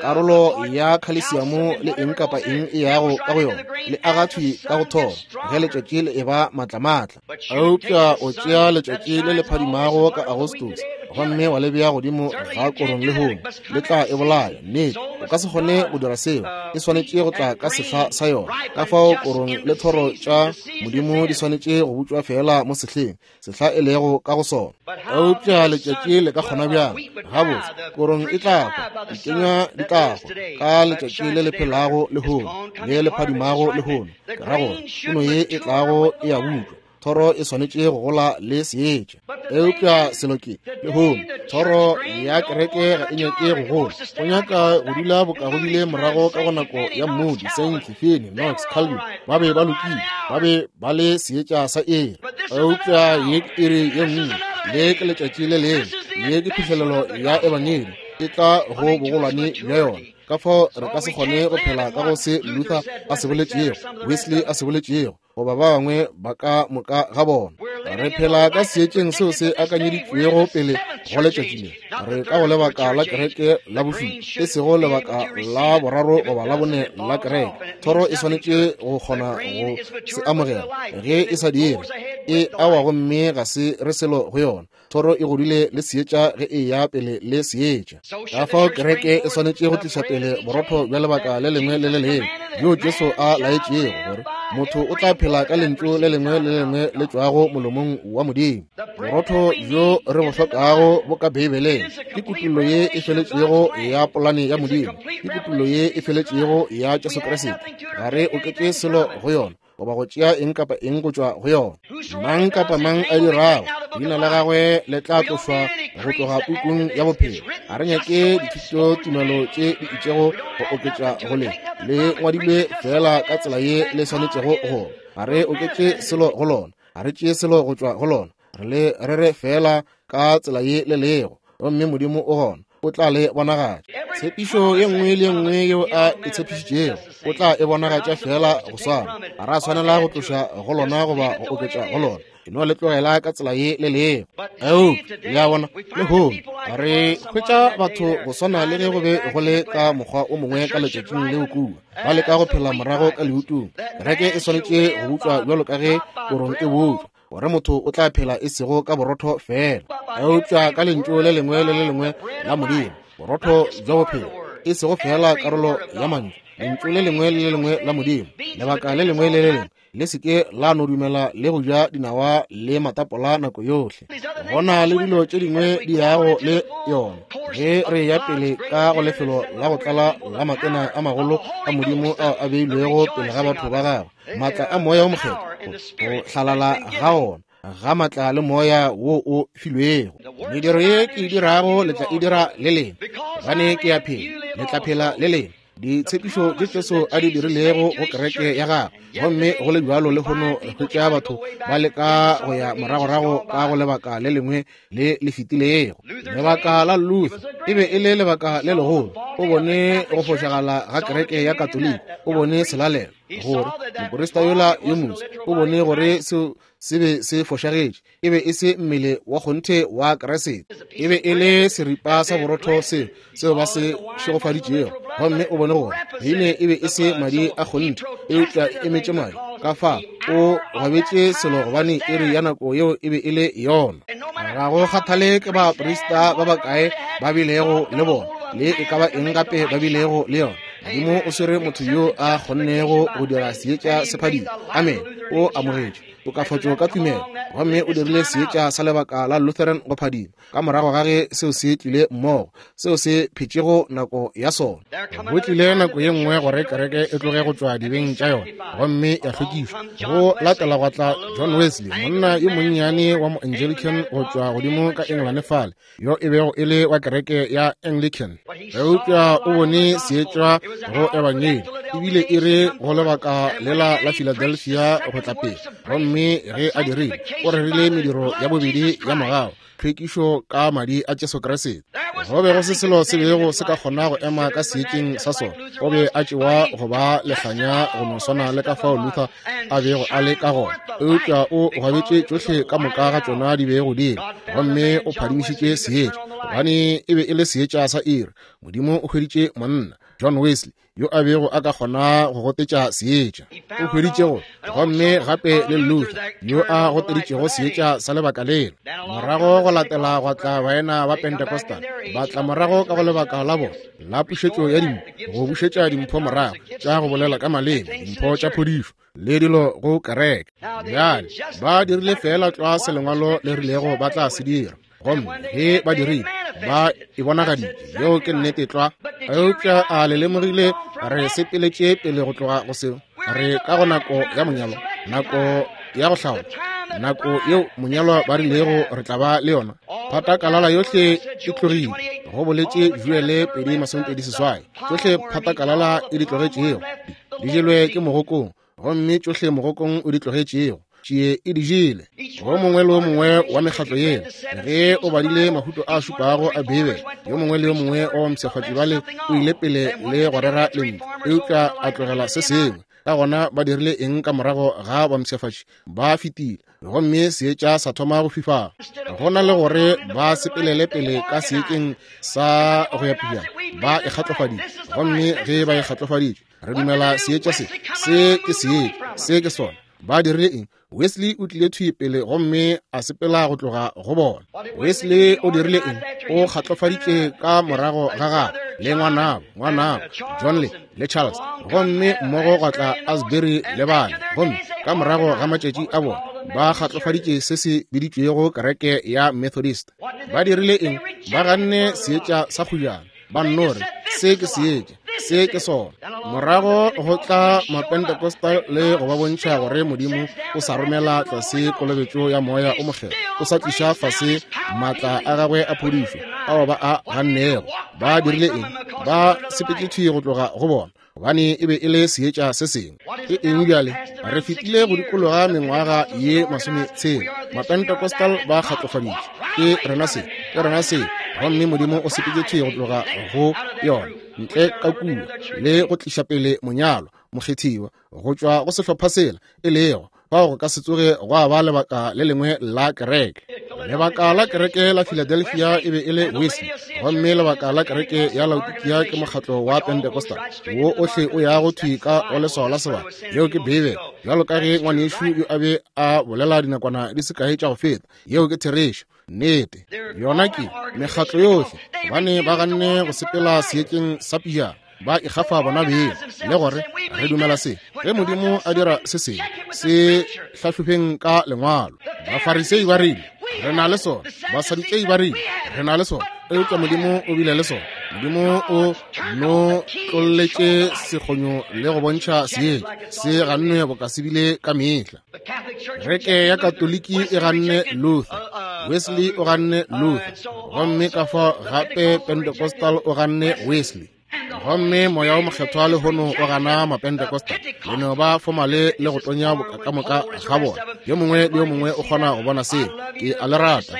karolo ya khalesiamo le eng kapa eng e yago ka go yona, le aga thwi ka go thoro ge letšatši le eba matlamatla. Eupša o tšea letšatši le le phadimago ka Agostose gomme wa le bea godimo ga korong lehono, le tla e bolaya. Nnete, o ka se kgone go dira seo. E swanetše go tla ka sehla sa yona. Ka fao korong le thoro tša Modimo di swanetše go butšwa fela mo sehleng, sehla e lego ka go sona. Eupša letšatši le ka kgona bjang? Gabotse, korong e tla hwa, dikenywa di tla hwa ka letšatši le le phelago lehono, le le phadimago lehono. Ke ra gore puno ye e tlago e a butšwa. Thoro e swanetše go gola le seetša. Eupša selo ke lehono, thoro ya kereke ga e nyake go gola. Go nyaka go dula boka go bile morago ka go nako ya Moody, Sankey, Finney, Knox, Calvin. Ba be ba lokile, ba be ba le seetša sa iri. Eupša ye ke iri ye nngwe, le ke letšatši le lengwe, ye ke phihlelelo ya ebangedi e tla go bogolwane bja yona. Ka fao re ka se kgone go phela ka go se Luther a se boletšego, Wesley a se boletšego, goba ba bangwe ba ka moka ga bona. Re phela ka seetšeng seo se akanyeditšwego pele go letšatši le. Re ka go lebaka la kereke la bošupa, e sego lebaka la boraro goba la bone la kereke. Thoro e swanetše go kgona go se amogela. Ge e sa dire, e awa gomme ga se re selo go yona. Thoro e godile le seetša ge e ya pele le seetša. Ka fao kereke e swanetše go tliša pele borotho bja lebaka le lengwe le le lengwe bjo Jesu a laetšego gore motho o tla phela ka lentšu le lengwe le lengwe le tšwago molomong wa Modimo. Borotho bjo re bo hlokago bo ka Beibeleng ke kutullo ye e feletšego ya polane ya Modimo, ke kutullo ye e feletšego ya Jesu Kriste. Ga re oketše selo go yona goba go tšea eng kapa eng go tšwa go yona. Mang kapa mang a dirago, leina la gagwe le tla tlošwa go tloga pukung ya bophelo. Ga re nyake dithuto tumelo tše di itšego go oketša go le, le ngwadilwe fela ka tsela ye le swanetšego go. Ga re oketše selo go lona, ga re tšee selo go tšwa go lona, re le rere fela ka tsela ye le lego, gomme Modimo o gona, o tla le bonagatša. Tshepišo ye nngwe le ye nngwe yeo a e tshepišitšego o tla e bonagatša fela go swana. Ga ra swanela go tloša go lona goba go oketša go lona. E no le tlogela ka tsela ye le lego. Eupša le a bona, lehono re hwetša batho go swana le ge go be go le ka mokgwa o mongwe ka letšatšing leo kua, ba leka go phela morago ka leutung. Kereke e swanetše go butšwa bjalo ka ge korong e butšwa, gore motho o tla phela e sego ka borotho fela, eupša ka lentšu le lengwe le le lengwe la Modimo, borotho bja bophelo, e sego fela karolo ya mantšu, lentšu le lengwe le le lengwe la Modimo, lebaka le lengwe le le lengwe. Le se ke la no dumela le go ja dinawa le matapola nako yohle. Go na le dilo tše dingwe di yago le yona. Ge re ya pele ka go lefelo la go tlala la matena a magolo a Modimo ao a beilwego pele ga batho ba gagwe, maatla a moya o mokgethwa, go hlalala ga ona ga maatla le moya wo o filwego. Mediro ye ke e dirago le tla e dira le lena, gobane ke ya phela, le tla phela le lena. Ditshepišo tše Jesu a di dirilego go kereke ya gagwe, gomme go le bjalo lehono re hwetša batho ba leka go ya moragorago ka go lebaka le lengwe le le fetilego. Lebaka la Luther e be e le lebaka le legolo. O bone go fošagala ga kereke ya Katoliki, o bone selalelo, gore moporista yola yo moso o bone gore seo se be se fošagetše. E be e se mmele wa kgonthe wa Kriste, e be e le seripa sa borotho seo seo ba se šegofaditšego. Gomme o bone gore beine e be e se madi a kgonthe, eupša e emetše madi. Ka fa o gwabetše selo, gobane iri ya nako yeo e be e le yona. Ga go kgathale ke baprista ba bakae ba bilego le bona, le e ka ba eng gape ba bilego le yona, Modimo o swere motho yo a kgonnego go dira seetša se phadima. Amen. O amogetše tokafatšo ka tumelo, gomme o dirile seetša sa lebaka la Lutheran go phadima ka morago ga ge seo se tlile mmogo, seo se phetšego nako ya sona. Go tlile nako ye nngwe gore kereke e tloge go tšwa dibeng tša yona gomme ya hlwekišwa. Go latela gwa tla John Wesley, monna yo monnyane wa mo-Anglican go tšwa godimo ka England fale, yo e bego e le wa kereke ya Anglican. Eupša o bone seetša go ebangedi, ebile e re go lebaka lela la Philadelphia go tla pele. Gomme ge a dirile, o rerile mediro ya bobedi ya mogau, tlhwekišo ka madi a Jesu Kriste. Go be go se selo se bego se ka kgona go ema ka seetšeng sa sona. O be a tšewa go ba lehlanya go no swana le ka fao Luther a bego a le ka gona, eupša o gwabetše tšohle ka moka ga tšona di bego di le, gomme o phadimišitše seetša, gobane e be e le seetša sa iri. Modimo o hweditše monna John Wesley yo a bego a ka kgona go gotetša seetša. O hweditše go, gomme gape le Luther yo a goteditšego seetša sa lebaka lelo. Morago go latela gwa tla baena ba Pentecostal, ba tla morago ka go lebaka la bona la pušetšo ya dimpho, go bušetša dimpho morago tša go bolela ka maleme, dimpho tša phodišo le dilo go kereke. Bjale ba dirile fela tlwa se lengwalo le rilego ba tla se dira, gomme ge ba dirile ba e bonagaditše. Yeo ke nnete tlwa. Eupša a le lemogile re sepeletše pele go tloga go seo? Re ka go nako ya monyalo, nako ya go hlaola, nako yeo monyalwa ba rilego re tla ba le yona. Phatakalala yohle e tlogile, go boletše Joele pedi masomepedi seswai. Tšohle phatakalala e di tlogetšego di jelwe ke mogokong, gomme tšohle mogokong o di tlogetšego tšie e di jele. Go mongwe le yo mongwe wa mekgatlo yela, ge o badile mahuto a šupago a Beibele, yo mongwe le yo mongwe wa bampshafatši bale o ile pele le go rera lentšu, eupša a tlogela se sengwe. Ka gona ba dirile eng ka morago ga bampshafatši? Ba fetile, gomme seetša sa thoma go fifala. Go na le gore ba sepelele pele ka seetšeng sa go ya pejana, ba e kgatlofaditše. Gomme ge ba e kgatlofaditše, re dumela seetša se, se ke seetša, se ke sona. Ba dirile eng? Wesley o tlile thwi pele gomme a sepela go tloga go bona. Wesley o dirile eng? O kgatlofaditše ka morago ga gagwe le ngwanabo, ngwanabo John le, le Charles, gomme mmogo gwa tla Asbury le bana. Gomme ka morago ga matšatši a bona ba kgatlofaditše se se biditšwego kereke ya Methodist. Ba dirile eng? Ba ganne seetša sa kgujana, ba nno re se ke seetša, se ke sona. Morago go tla Mapentecostal le go ba bontšha gore Modimo o sa romela tlase kolobetšo ya moya o mokgethwa, o sa tliša fase maatla a gagwe a phodišo ao ba a gannego. Ba dirile eng? Ba sepetše thwi go tloga go bona, gobane e be e le seetša se sengwe. Ke eng bjale? Re fetile go dikologa mengwaga ye masometshela. Mapentecostal ba kgatlofaditše, ke rena se, ke rena se, gomme Modimo o sepetše thwi go tloga go yona ntle ka kua le go tliša pele monyalo mokgethiwa go tšwa go sehlopha sela, e lego fao go ka se tsoge gwa ba lebaka le lengwe la kereke. Lebaka la kereke la Philadelphia e be e le Wesley, gomme lebaka la kereke ya Laodikia ke mokgatlo wa Pentecostal wo ohle o yago thwi ka go leswao la sebaka. Yeo ke Beibele, bjalo ka ge ngwanešu yo a be a bolela dinakwana di se kae tša go feta. Yeo ke therešo, nnete. Yona ke mekgatlo yohle, gobane ba ganne go sepela seetšeng sa pijana, ba ikgafa bona beng le gore re dumela se. Ge Modimo a dira se sengwe, se hlahlobeng ka lengwalo. Bafarisei ba rile re na le sona, Basadutsei ba rile re na le sona, eupša Modimo o bile le sona. Modimo o no tlolletše sekgonyo le go bontšha seetša se gannwe boka se bile ka mehla. Kereke ya Katoliki e ganne Luther, Wesley o ganne Luther, gomme ka fao gape Pentecostal o ganne Wesley. Gomme moya o mokgethwa lehono o gana Mapentecostal. Le no ba fomale le go tonya boka ka moka ga bona. Yo mongwe le yo mongwe o kgona go bona seo. Ke a le rata,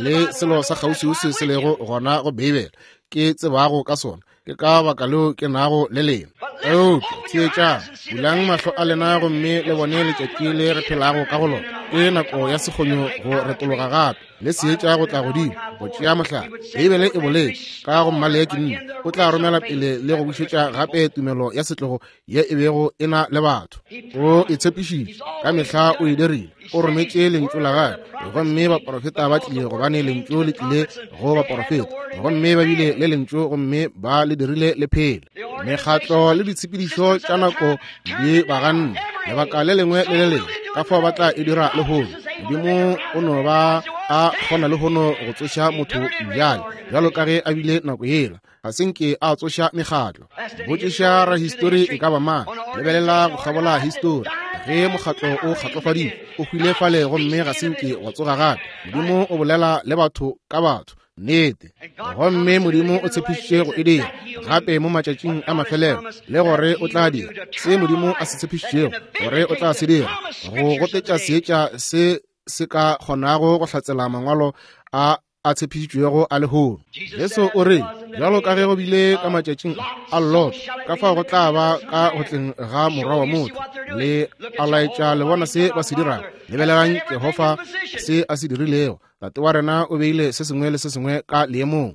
le selo sa kgauswiuswi se lego gona go Beibele ke tsebago ka sona. Ke ka baka leo ke nago le lena. Eupša theetšang, bulang mahlo a lena gomme le bone letšatši le re phelago ka go lona. Ke nako ya sekgonyo go retologa gape le seetša go tla godimo go tšea mohlala. Beibele e boletše ka go Mmaleki nne, o tla romela pele le go bušetša gape tumelo ya setlogo ye e bego e na le batho. O e tshepišitše, ka mehla o e dirile. O rometše lentšu la gagwe, gomme baporofeta ba tlile, gobane lentšu le tlile go baporofeta, gomme ba bile le lentšu gomme ba le dirile le phele. Mekgatlo le ditshepedišo tša nako di ba ganne lebaka le lengwe le le lengwe. Ka fao ba tla e dira lehono. Modimo o no ba a kgona lehono go tsoša motho bjale, bjalo ka ge a bile nako yela. Ga se nke a tsoša mekgatlo. Botšiša rahistori e ka ba mang. Lebelela go kgabola histori. Ge mokgatlo o kgatlofaditšwe, o hwile fale gomme ga se nke wa tsoga gape. Modimo o bolela le batho ka batho. Nnete. Gomme Modimo o tshepišitše go e dira gape mo matšatšing a mafelelo, le gore o tla dira se Modimo a se tshepišitšego gore o tla se dira, go gotetša seetša se se ka kgonago go hlatsela mangwalo a a tshepišitšwego a lehono. Jesu o re, bjalo ka ge go bile ka matšatšing a Lot, ka fao go tla ba ka go tleng ga morwa wa motho. Le a laetša le bona se ba se dirago. Lebelelang Jehofa se a se dirilego. Tate wa rena o beile se sengwe le se sengwe ka leemong.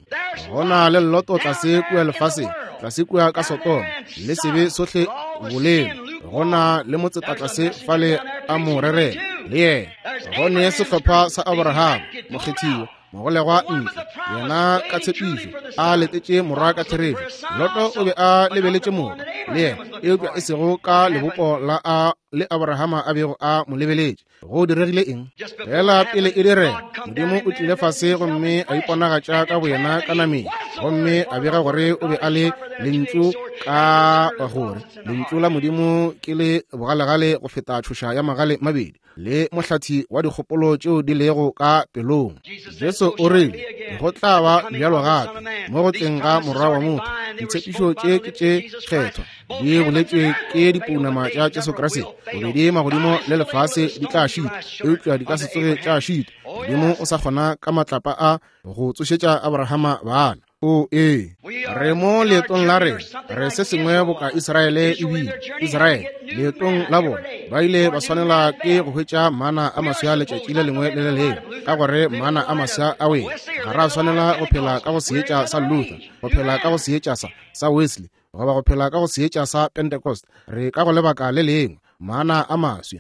Gona le Loto tlase kua lefaseng, tlase kua ka Sodoma, le sebe sohle boleng. Gona le motseta tlase fale a mo rerela le yena. Gone sehlopha sa Abraham, mokgethiwa, mogolegwa ntle, yena ka tshepišo a letetše morwa ka therešo. Loto o be a lebeletše morwa le yena, eupša e sego ka lebopo la a le Abrahama a bego a mo lebeletše. Go diregile eng? Fela pele e direga, Modimo o tlile fase gomme a iponagatša ka boyena ka nameng, gomme a bega gore o be a le lentšu, ka gore lentšu la Modimo ke le bogalegale go feta tšhoša ya magale mabedi, le mohlathi wa dikgopolo tšeo di lego ka pelong. Jesu o rile, go tla ba bjalo gape mo go tleng ga morwa wa motho. Ditshepišo tše ke tše kgethwa, di boletšwe ke dipounama tša Jesu Kriste. Bobedi magodimo le lefase di tla šita, eupša di ka se tsoge tša šita. Modimo o sa kgona ka matlapa a go tsošetša Abrahama bana. O ee, re mo leetong la rena, re se sengwe boka Israele e bile. Israele leetong la bona ba ile ba swanela ke go hwetša mana a maswa letšatši le lengwe le le lengwe, ka gore mana a maswa a wele. Ga ra swanela go phela ka go seetša sa Luther, go phela ka go seetša sa sa Wesley, goba go phela ka go seetša sa Pentecost. Re ka go lebaka le lengwe, mana a maswa.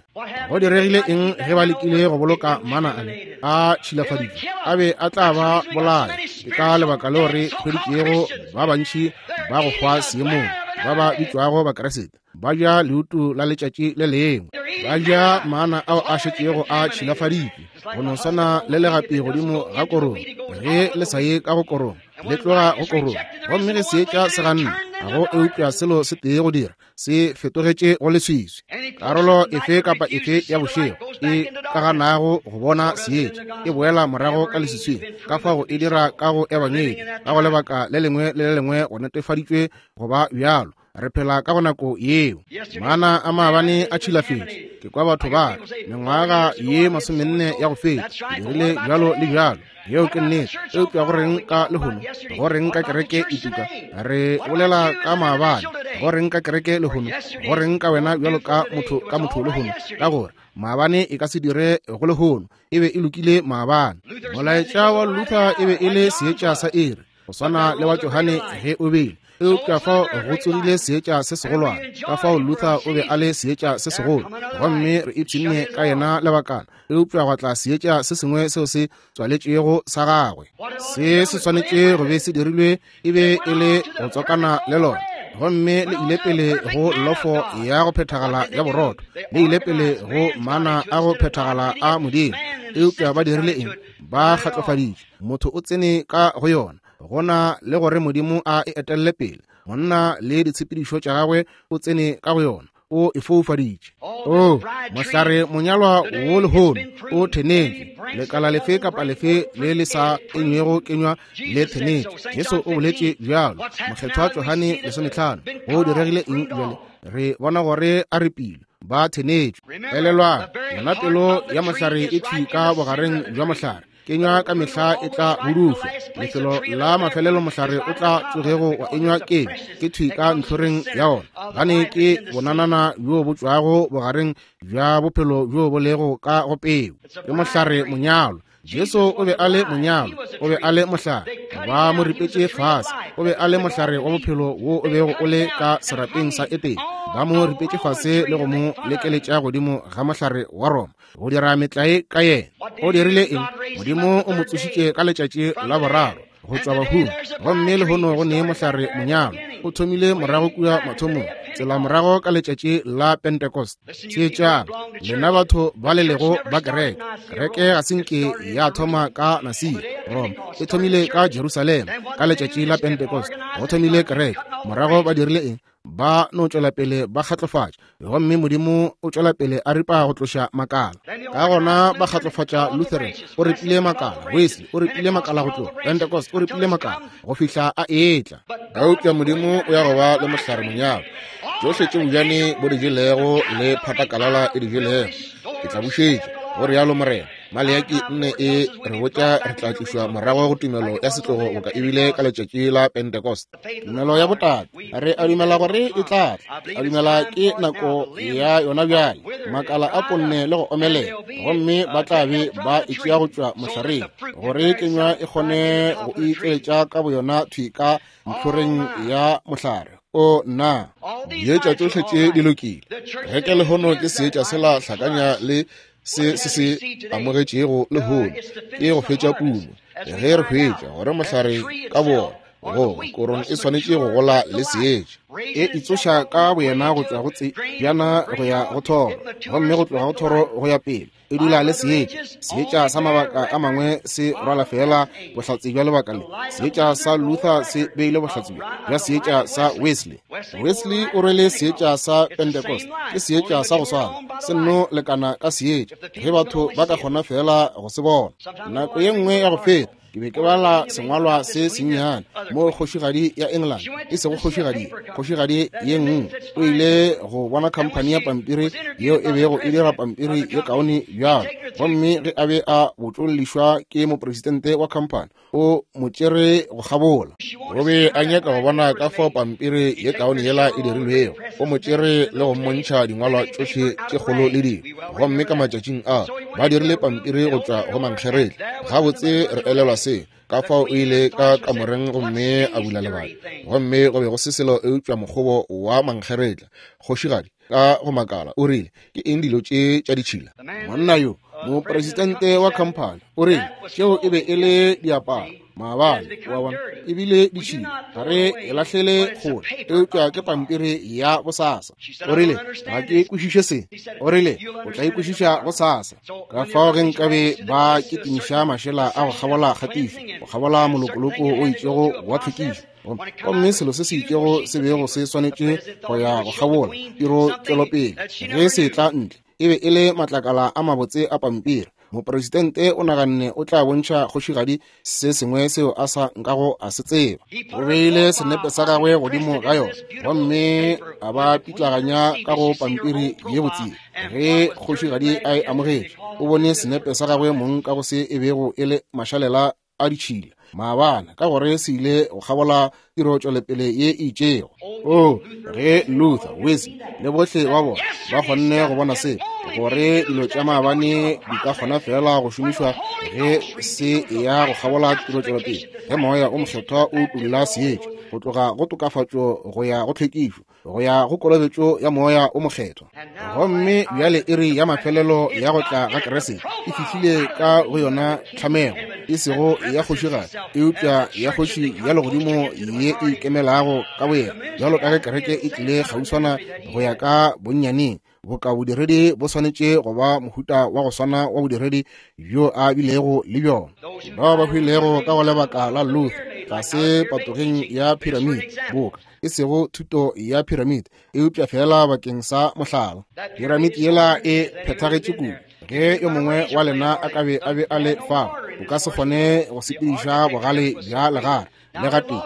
Go diregile eng ge ba lekile go boloka mana ale a tšhilafaditšwe? A be a tla ba bolaya. Ke ka lebaka leo re hweditšego ba bantši ba go hwa seemong, ba ba bitšwago Bakeresete, ba ja leutu la letšatši le lengwe, ba ja mana ao a šetšego a tšhilafaditšwe, go no swana le legapi godimo ga korong. Ge le sa ye ka go korong, le tloga go korong, gomme ge seetša se ganne, ga go eupša selo se tee go dira, se fetogetše go leswiswi. Karolo efe kapa efe ya bošego e ka ganago go bona seetša e boela morago ka leswiswing. Ka fao e dira ka go ebangedi, ka go lebaka le lengwe le le lengwe go netefaditšwe go ba bjalo. Re phela ka go nako yeo. Mana a maabane a tšhilafetše. Ke kwa batho ba re, mengwaga ye masomenne ya go feta ke dirile bjalo le bjalo. Yeo ke nnete. Eupša go reng ka lehono? Go reng ka kereke e tuka? Re bolela ka maabane. Go reng ka kereke lehono? Go reng ka wena bjalo ka motho ka motho lehono? Ka gore maabane e ka se dire go lehono. E be e lokile maabane. Molaetša wa Luther e be e le seetša sa iri, go swana le wa Johane ge o bile. Eupša fao go tsogile seetša se segolwane. Ka fao Luther o be a le seetša se segolo, gomme re ipshinne ka yena lebakana. Eupša gwa tla seetša se sengwe seo se tswaletšego sa gagwe. Se se swanetše go be se dirilwe e be e le go tswakana le lona, gomme le ile pele go lofo ya go phethagala ya borotho, le ile pele go mana a go phethagala a Modimo. Eupša ba dirile eng? Ba kgatlofaditše. Motho o tsene ka go yona, gona le gore Modimo a e etelle pele. Monna le ditshepedišo tša gagwe o tsene ka go yona, o e foufaditše. O mohlare monyalwa wo lehono o thenetšwe. Lekala lefe kapa lefe le le sa enywego kenywa le thenetšwe. Jesu o boletše bjalo. Mokgethwa Johane lesometlhano. Go diregile eng bjale? Re bona gore a repile, ba thenetšwe. Elelwang, yona pelo ya mohlare e thwi ka bogareng bja mohlare. Kenywa ka mehla e tla budušwa. Lefelo la mafelelo mohlare o tla tsogego wa enywa kenywa ke thwi ka ntlhoreng ya ona, gane ke bonanana bjo bo tšwago bogareng bja bophelo bjo bo lego ka go peu. Ke mohlare monyalo. Jesu o be a le monyalo, o be a le mohlare. Ba mo ripetše fase. O be a le mohlare wa bophelo wo o bego o le ka serapeng sa Etene. Ba mo ripetše fase le go mo lekeletša godimo ga mohlare wa Roma, go dira metlae ka yena. O dirile eng? Modimo o mo tsošitše ka letšatši la boraro go tšwa bahung. Gomme lehono go ne mohlare monyalo o thomile morago kua mathomong, tsela morago ka letšatši la Pentecost. Theetšang, lena batho ba le lego ba kereke. Kereke ga se nke ya thoma ka Nasia, Roma. E thomile ka Jerusalem ka letšatši la Pentecost. Go thomile kereke. Morago ba dirile eng? Ba no tšwela pele ba kgatlofatša, gomme Modimo o tšwela pele a ripa go tloša makala. Ka gona ba kgatlofatša Lutheran, o ripile makala, Wesley o ripile makala go tloga, Pentecost o ripile makala go fihla a etla. Eupša Modimo o ya go ba le mohlare monyalo. Tšohle tše bojane bo di jelego le phatakalala e di jelego, ke tla bušetša, go rialo Morena. Maleaki nne e re botša re tla tlišwa morago go tumelo ya setlogo boka ebile ka letšatši la Pentecost. Tumelo ya botate re a dumela gore e tla tla, a dumela ke nako ya yona bjale. Makala a ponne le go omelela, gomme ba tla be ba e tšea go tšwa mohlareng gore kenywa e kgone go itšweletša ka boyona thwi ka ntlhoreng ya mohlare. O nna, dietša tšohle tše di lokile. Kereke lehono ke seetša sela hlakanya le se se se amogetšego lehono, ke go fetša puno. Ge re hwetša gore mohlare ka bona go korong e swanetše go gola le seetša, e itsoša ka boyena go tšwa go tsebjana go ya go thoro, gomme go tloga go thoro go ya pele e dula le seetša. Seetša sa mabaka a mangwe se rwala fela bohlatse bja lebaka le. Seetša sa Luther se beile bohlatse bja seetša sa Wesley. Wesley o rwele seetša sa Pentecost. Ke seetša sa go swana, se nno lekana ka seetša ge batho ba ka kgona fela go se bona. Nako ye nngwe ya go feta ke be ke bala sengwalwa se sennyane mo kgošigadi ya England, e sego kgošigadi, kgošigadi ye nngwe o ile go bona khamphani ya pampiri yeo e bego e dira pampiri ye kaone bjalo. Gomme ge a be a botšollišwa ke mopresidente wa khamphani, o mo tšere go kgabola. O be a nyaka go bona ka fao pampiri ye kaone yela e dirilwego. O mo tšere le go mmontšha dingwalwa tšohle tše kgolo le dingwe. Gomme ka matšatšing a ba dirile pampiri go tšwa go mankgeretla. Gabotse re elelwa se, ka fao o ile ka kamoreng gomme a bula lebati, gomme go be go se selo eupša mokgobo wa mankgeretla. Kgošigadi ka go makala o rile, ke eng dilo tše tša ditšhila? Monna yo, mopresidente wa khamphani, o rile tšeo e be e le diaparo maabane, wa bona, ebile ditšhila, ga re e lahlele kgole, eupša ke pampiri ya bosasa. O rile, ga ke kwešiše se. O rile, o tla e kwešiša gosasa. Ka fao ge nkabe ba kitimiša mašela a go kgabola kgatišo, go kgabola molokoloko o itšego wa tlhwekišo, gomme selo se se itšego se bego se swanetše go ya go kgabola tiro tšwelopele, ge se tla ntle e be e le matlakala a mabotse a pampiri. Mopresidente o naganne o tla bontšha kgošigadi se sengwe seo a sa nkago a se tseba. O beile senepe sa gagwe godimo ga yona, gomme a ba pitlaganya ka go pampiri ye botse. Ge kgošigadi a e amogetše, o bone senepe sa gagwe mong ka go se e bego e le mašalela a ditšhila maabane, ka gore se ile go kgabola tiro tšwelopele ye e itšego. O ge Luther, Wesley le bohle ba bona ba kgonne go bona se, gore dilo tša maabane di ka kgona fela go šomišwa ge se ya go kgabola tiro tšwelopele, ge moya o mokgethwa o tulla seetša go tloga go tokafatšo go ya go tlhwekišo go ya go kolobetšo ya moya o mokgethwa. Gomme bjale iri ya mafelelo ya go tla ga Kriste e fihlile ka go yona tlhamego, e sego ya kgošigadi, eupša ya kgoši ya legodimo ye e ikemelago ka boyena, bjalo ka ge kereke e tlile kgauswana go ya ka bonnyaneng. Boka bodiredi bo swanetše go ba mohuta wa go swana wa bodiredi bjo a bilego le bjona. Bao ba hwilego ka go lebaka la Luther tlase patogeng ya piramide, boka e sego thuto ya piramide, eupša fela bakeng sa mohlala. Piramide yela e phethagetše kudu. Ge yo mongwe wa lena a ka be a be a le fao, o ka se kgone go sepediša bogale bja legare le gatee.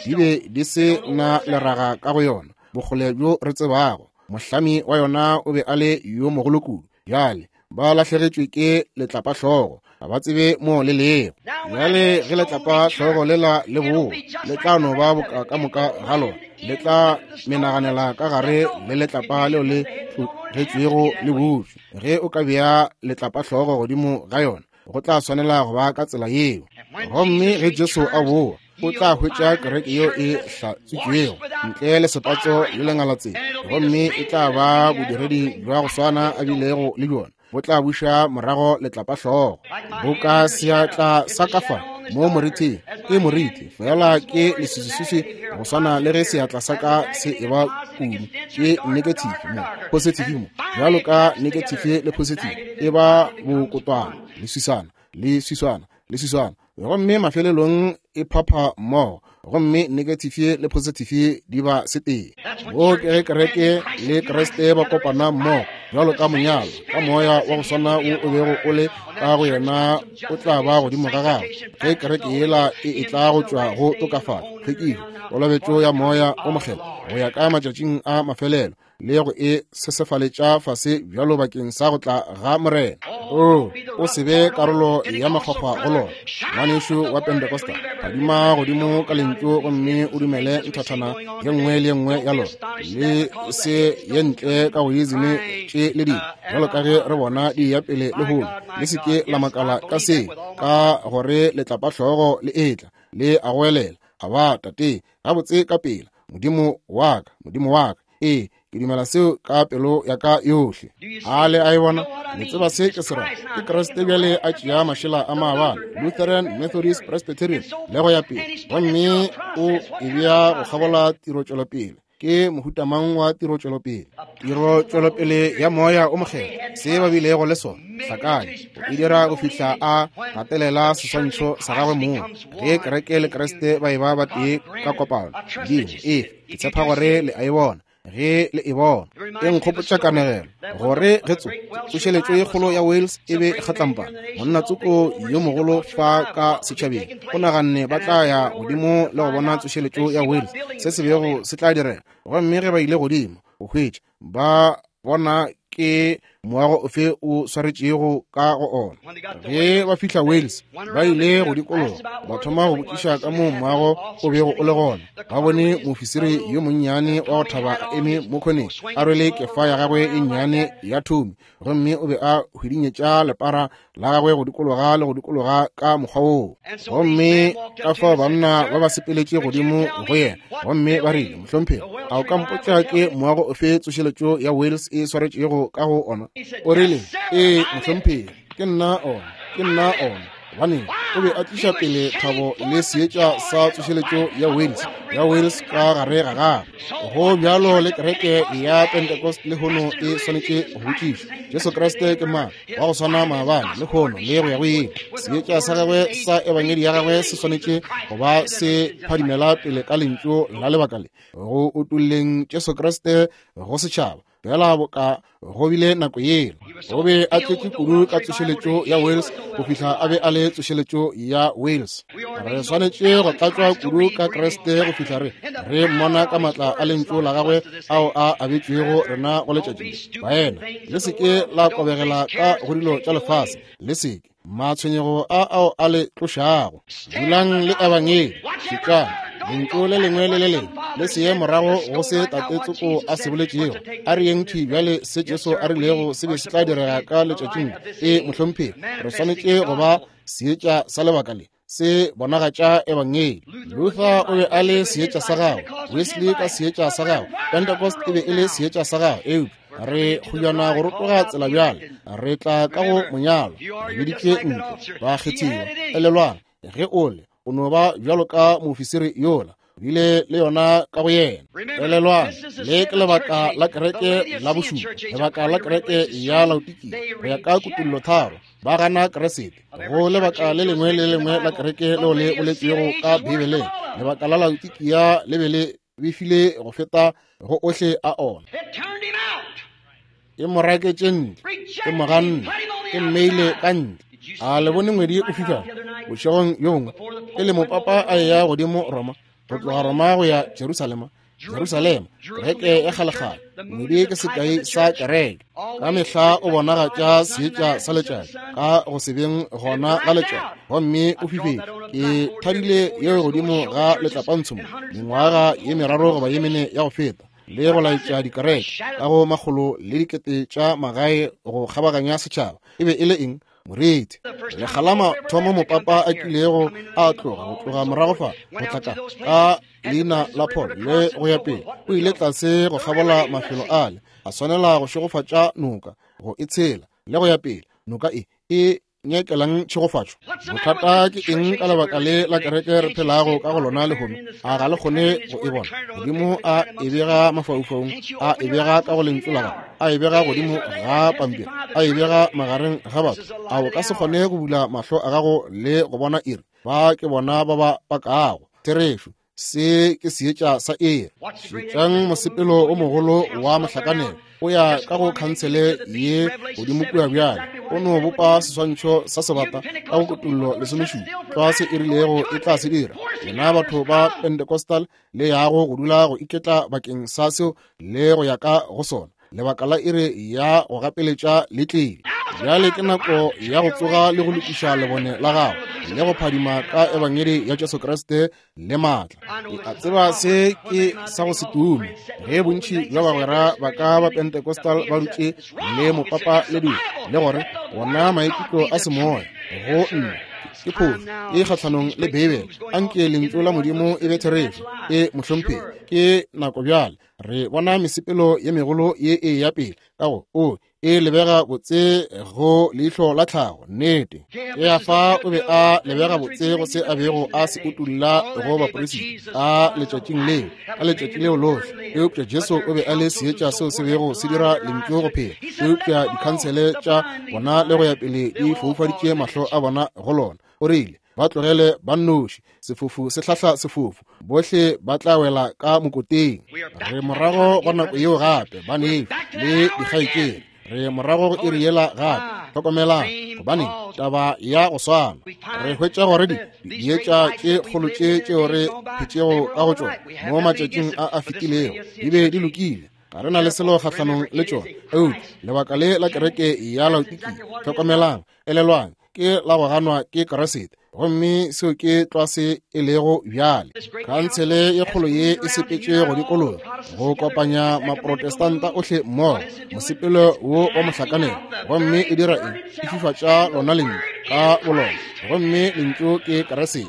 Di be di se na leraga ka go yona, bokgole bjo re tsebago. Mohlami wa yona o be a le yo mogolo kudu. Bjale ba lahlegetšwe ke letlapahlogo, ga ba tsebe mo le lego. Bjale ge letlapahlogo lela le boa, le tla no ba boka ka moka ga lona, le tla menaganela ka gare le letlapa leo le tlogetšwego le butšwe. Ge o ka bea letlapahlogo godimo ga yona, go tla swanela go ba ka tsela yeo. Gomme ge Jesu a boa, o tla hwetša kereke yeo e hlatswitšwego ntle le sepatso le lengalatsela, gomme e tla ba bodiredi bja go swana a bilego le bjona. Bo tla buša morago letlapahlogo boka seatla sa ka fa. Mo morithing, ke morithi, fela ke leswiswiswi go swana le ge seatla sa ka se eba kudu. Ke negative mo, positive mo. Bjalo ka negative le positive, e ba bokotwana, leswiswana, leswiswana, leswiswana. Gomme mafelelong e phapha mmogo, gomme negative le positive di ba setee. Wo ke ge kereke le Kriste ba kopana mmogo, bjalo ka monyalo, ka moya wa go swana wo o bego o le ka go yena o tla ba godimo ga gagwe. Ge kereke yela e etla go tšwa go tokafatšo, tlhwekišo, kolobetšo ya moya o mokgethwa go ya ka matšatšing a mafelelo, le go e sesefaletša fase bjalo bakeng sa go tla ga Morena. O, o se be karolo ya makgwakgwa go lona, ngwanešu wa Pentecostal. Phadima godimo ka lentšu gomme o dumele nthathana ye nngwe le ye nngwe ya lona, le se ye ntle ka go izime tše le dingwe, bjalo ka ge re bona di ya pele lehono. Le se ke la makala ka se, ka gore letlapahlogo le etla, le a goelela, a ba tate, gabotse ka pela, Modimo wa ka, Modimo wa ka. Ee, ke dumela seo ka pelo ya ka yohle. A le a e bona? Le tseba se ke se ra. Ke Kriste bjale a tšea mašela a maabane, Lutheran, Methodist, Presbyterian, le go ya pele, gomme o e bea go kgabola tirotšwelopele. Ke mohuta mang wa tirotšwelopele? Tirotšwelopele ya moya o mokgethwa, se ba bilego le sona, hlakanya, o e dira go fihla a gatelela seswantšho sa gagwe mong. Ge kereke le Kriste ba e ba batee ka kopano, Modimo, ee, ke tshepa gore le a e bona. Ge le e bona, e nkgopotša kanegelo gore ge tso tsošeletšo ye kgolo ya Wales e be e kgatlampana, monna tsoko yo mogolo fa ka setšhabeng o naganne ba tla ya godimo le go bona tsošeletšo ya Wales, se se bego se tla direga. Gomme ge ba ile godimo go hwetša, ba bona ke moago ofe o swaretšego ka go ona. Ge ba fihla Wales, ba ile go dikologa, ba thoma go botšiša ka moo moago o bego o le gona. Ba bone moofisiri yo monnyane wa go thaba a eme mo khoneng, a rwele kefa ya gagwe e nnyane ya thomi, gomme o be a hwidinyetša lepara la gagwe go dikologa le go dikologa ka mokgwa woo. Gomme ka fao banna ba ba sepeletše godimo go yena, gomme ba rile, Mohlomphegi, a o ka mpotša ke moago ofe tsošeletšo ya Wales e swaretšego ka go ona? O rile, ee, mohlomphegi, ke nna ona, ke nna ona. Gobaneng, o be a tliša pele thabo le seetša sa tsošeletšo ya Wales, ya Wales ka gare ga gagwe. Go bjalo le kereke ya Pentecost lehono e swanetše go botšiša, Jesu Kriste ke mang? Wa go swana maabane, lehono le go ya go ile. Seetša sa gagwe sa ebangedi ya gagwe se swanetše go ba se phadimela pele ka lentšu la lebaka le, go utolleng Jesu Kriste go setšhaba. Fela boka go bile nako yela, o be a tletše kudu ka tsošeletšo ya Wales go fihla a be a le tsošeletšo ya Wales. Re swanetše go tlatšwa kudu ka Kriste go fihla re re mmona ka matla a lentšu la gagwe ao a abetšwego rena go letšatši. Baena, le se ke la kobegela ka go dilo tša lefase, le se ke matshwenyego a ao a le tlošago. Dulang le ebangedi, šetšang lentšu le lengwe le le lengwe, le se ye morago go se tate tsoko a se boletšego. A re yeng thwi bjale se Jesu a rilego se be se tla direga ka letšatšing. E, mohlomphegi, re swanetše go ba seetša sa lebaka le, se bonagatša ebangedi. Luther o be a le seetša sa gagwe, Wesley ka seetša sa gagwe, Pentecost e be e le seetša sa gagwe, eupša re kgojana go rotoga tsela bjale, re tla ka go monyalo, re biditšwe ntle, ba kgethiwa. Elelwang, ge o le, o no ba bjalo ka moofisiri yola, bile le yona ka go yena. Elelwang, le ke lebaka la kereke la bošupa, lebaka la kereke ya Laodikia, go ya ka kutullo tharo, ba gana Kriste. Go lebaka le lengwe le lengwe la kereke leo le boletšwego ka Bibeleng, lebaka la Laodikia le be le befile go feta go ohle a ona. E mo raketše ntle, e mo ganne, e mmeile ka ntle. A le bone ngwedi o fifala bošegong bjo bongwe pele mopapa a eya godimo Roma, go tloga Roma go ya Jerusalema, Jerusalema, kereke ya kgalekgale. Ngwedi ke sekai sa kereke. Ka mehla o bonagatša seetša sa letšatši ka go se beng gona ga letšatši, gomme o fifetše. Ke thadile yeo godimo ga letlapantsho mo mengwaga ye meraro goba ye mene ya go feta, le go laetša dikereke ka go makgolo le dikete tša magae go kgabaganya setšhaba. E be e le eng? Moriti. Lekga la mathomo mopapa a kilego a tloga go tloga morago fa go tla ka ka leina la Paul le go ya pele, o ile tlase go kgabola mafelo ale, a swanela go šegofatša noka, go e tshela le go ya pele. Noka e e nyakelang tšhegofatšo? Bothata ke eng ka lebaka le la kereke re phelago ka go lona lehono? A ga le kgone go e bona? Modimo a e bega mafaufaung, a e bega ka go lentšu la gagwe, a e bega godimo ga pampiri, a e bega magareng ga batho. A o ka se kgone go bula mahlo a gago le go bona iri? Ba ke bona ba ba pakago therešo. Se ke seetša sa iri. Šetšang mosepelo o mogolo wa mohlakanelo o ya ka go khansele ye godimo kua bjale. O no bopa seswantšho sa sebata ka go kutullo lesomešupa, tlwa se e rilego e tla se dira. Lena batho ba Pentecostal le yago go dula go iketla bakeng sa seo le go ya ka go sona. Lebaka la iri ya go gapeletša le tlile. Bjale ke nako ya go tsoga le go lokiša lebone la gago le go phadima ka ebangedi ya Jesu Kriste le maatla. Ke a tseba se ke sa go se tume ge bontši bja bagwera ba ka ba Pentecostal ba dutše le mopapa le dilo le gore wona maikutlo a semoya go nna ke phošo e kgahlanong le Beibele. Anke lentšu la Modimo e be therešo. E mohlomphegi, ke nako bjale re bona mesepelo ye megolo ye e ya pele ka go o e lebega botse go leihlo la tlhago. Nnete, Kefa o be a lebega botse go se a bego a se utulla go baperisita ka letšatšing leo, ka letšatši leo lohle. Eupša Jesu o be a le seetša seo se bego se dira lentšu go phela. Eupša dikhansele tša bona le go ya pele di foufaditše mahlo a bona go lona. O rile ba tlogele ba nnoši, sefofu se hlahla sefofu, bohle ba tla wela ka mokoteng. Re morago go nako yeo gape, banešu le dikgaetšedi. Re morago go iri yela gape. Hlokomelang, gobane taba ya go swana. Re hwetša gore di dietša tše kgolo tše tšeo re phetšego ka go tšona mo matšatšing a a fetilego di be di lokile. Ga re na le selo kgahlanong le tšona. Eupša lebaka le la kereke ya Laodikia, hlokomelang, elelwang, ke la go ganwa ke Kriste, gomme seo ke tlwa se e lego bjale. Khansele ye kgolo ye e sepetše go dikologa go kopanya maprotestanta ohle mmogo, mosepelo wo wa mohlakanelo, gomme e dira eng? E fifatša lona lentšu ka bolona, gomme lentšu ke Kriste.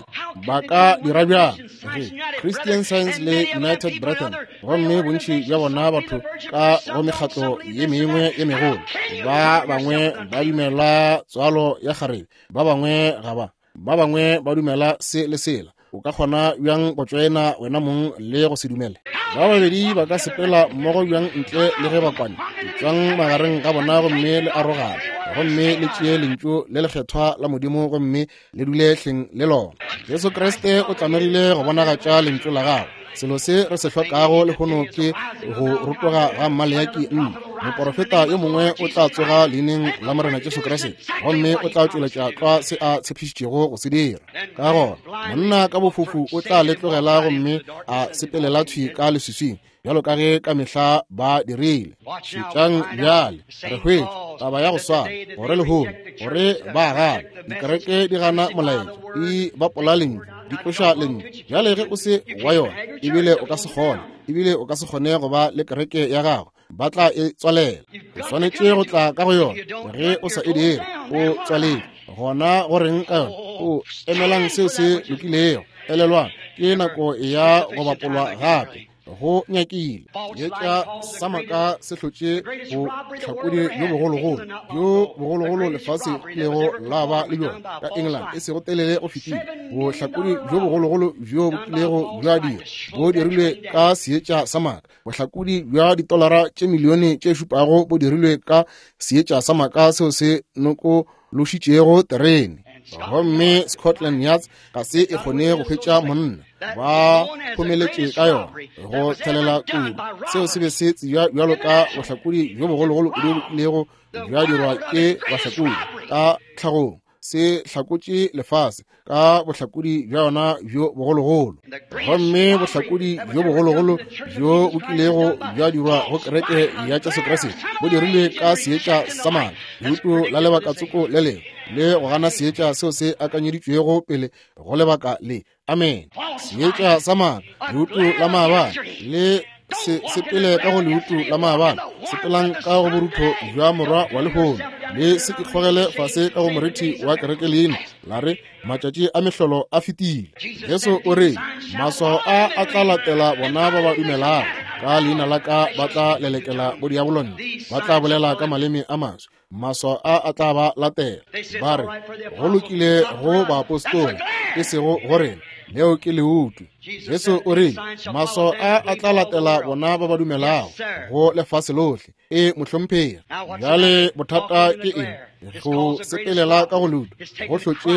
Ba ka dira bjang ge Christian Science le United Brethren, gomme bontši bja bona batho ka go mekgatlo ye mengwe ye megolo, ba bangwe ba dumela tswalo ya kgarebe, ba bangwe ga ba, ba bangwe ba dumela se le sela. O ka kgona bjang go tšoena wena mong le go se dumele? Ba babedi ba ka sepela mmogo bjang ntle le ge ba kwane? Tšwang magareng ga bona gomme le arogane, gomme le tšee lentšu le lekgethwa la Modimo gomme le dule hleng le lona. Jesu Kriste o tlamegile go bonagatša lentšu la gagwe. Selo se re se hlokago lehono ke go rotoga ga Maleaki nne. Moporofeta yo mongwe o tla tsoga leineng la Morena Jesu Kriste, gomme o tla tšweletša tlwa se a tshepišitšego go se dira. Ka gona monna ka bofofu o tla le tlogela gomme a sepelela thwi ka leswiswing, bjalo ka ge ka mehla ba dirile. Šetšang bjale, re hwetša taba ya go swana gore lehono gore ba gana dikereke di gana molaetša, di bapola lentšu, di tloša lentšu. Bjale ge o se wa yona, ebile o ka se kgone, ebile o ka se kgone go ba le kereke ya gago, ba tla e tswalela. O swanetše go tla ka go yona. Ge o sa e dire, o tswaletše. Gona go reng ka yona? O emelang seo se lokilego. Elelwang, ke nako ya go bapolwa gape. Go nyakile etša sa maka se hlotše bohlakodi bjo bogologolo bjo bogologolo lefase lego la ba le bjona ka England e sego telele go fetile. Bohlakodi bjo bogologolo bjo bo kilego bja dira bo dirilwe ka seetša sa maka. Bohlakodi bja ditolara tše milione tše šupago bo dirilwe ka seetša sa maka seo se nokološitšego terene. Gomme Scotland Yard ga se e kgone go hwetša monna, ba phomeletše ka yona go thelela kudu. Seo se be se tsebja bjalo ka bohlakodi bjo bogologolo kudu bo kilego bja dirwa ke bahlakodi ka tlhagong. Se hlakotše lefase ka bohlakodi bja yona bjo bogologolo. Gomme bohlakodi bjo bogologolo bjo bo kilego bja dirwa go kereke ya Jesu Kriste bo dirilwe ka seetša sa maka, leuto la lebakatsoko le lengwe, le go gana seetša seo se akanyeditšwego pele go lebaka le. Amen. Seetša sa maka, leuto la maabane, le se sepele ka go leuto la maabane, sepelang ka go borutho bja morwa wa lehono, le se ikgogele fase ka go morithi wa kereke leina la re matšatši a mehlolo a fetile. Jesu o re maswao a a tla latela bona ba ba dumelago, ka leina la ka ba tla lelekela bodiabolone, ba tla bolela ka maleme a maswa, Maswao a a tla ba latela. Ba re, go lokile go baapostola, e sego go rena. Leo ke leutu. Jesu o rile, maswao a a tla latela bona ba ba dumelago go lefase lohle. E mohlomphegi. Bjale bothata ke eng? Go sepelela ka go leutu go hlotše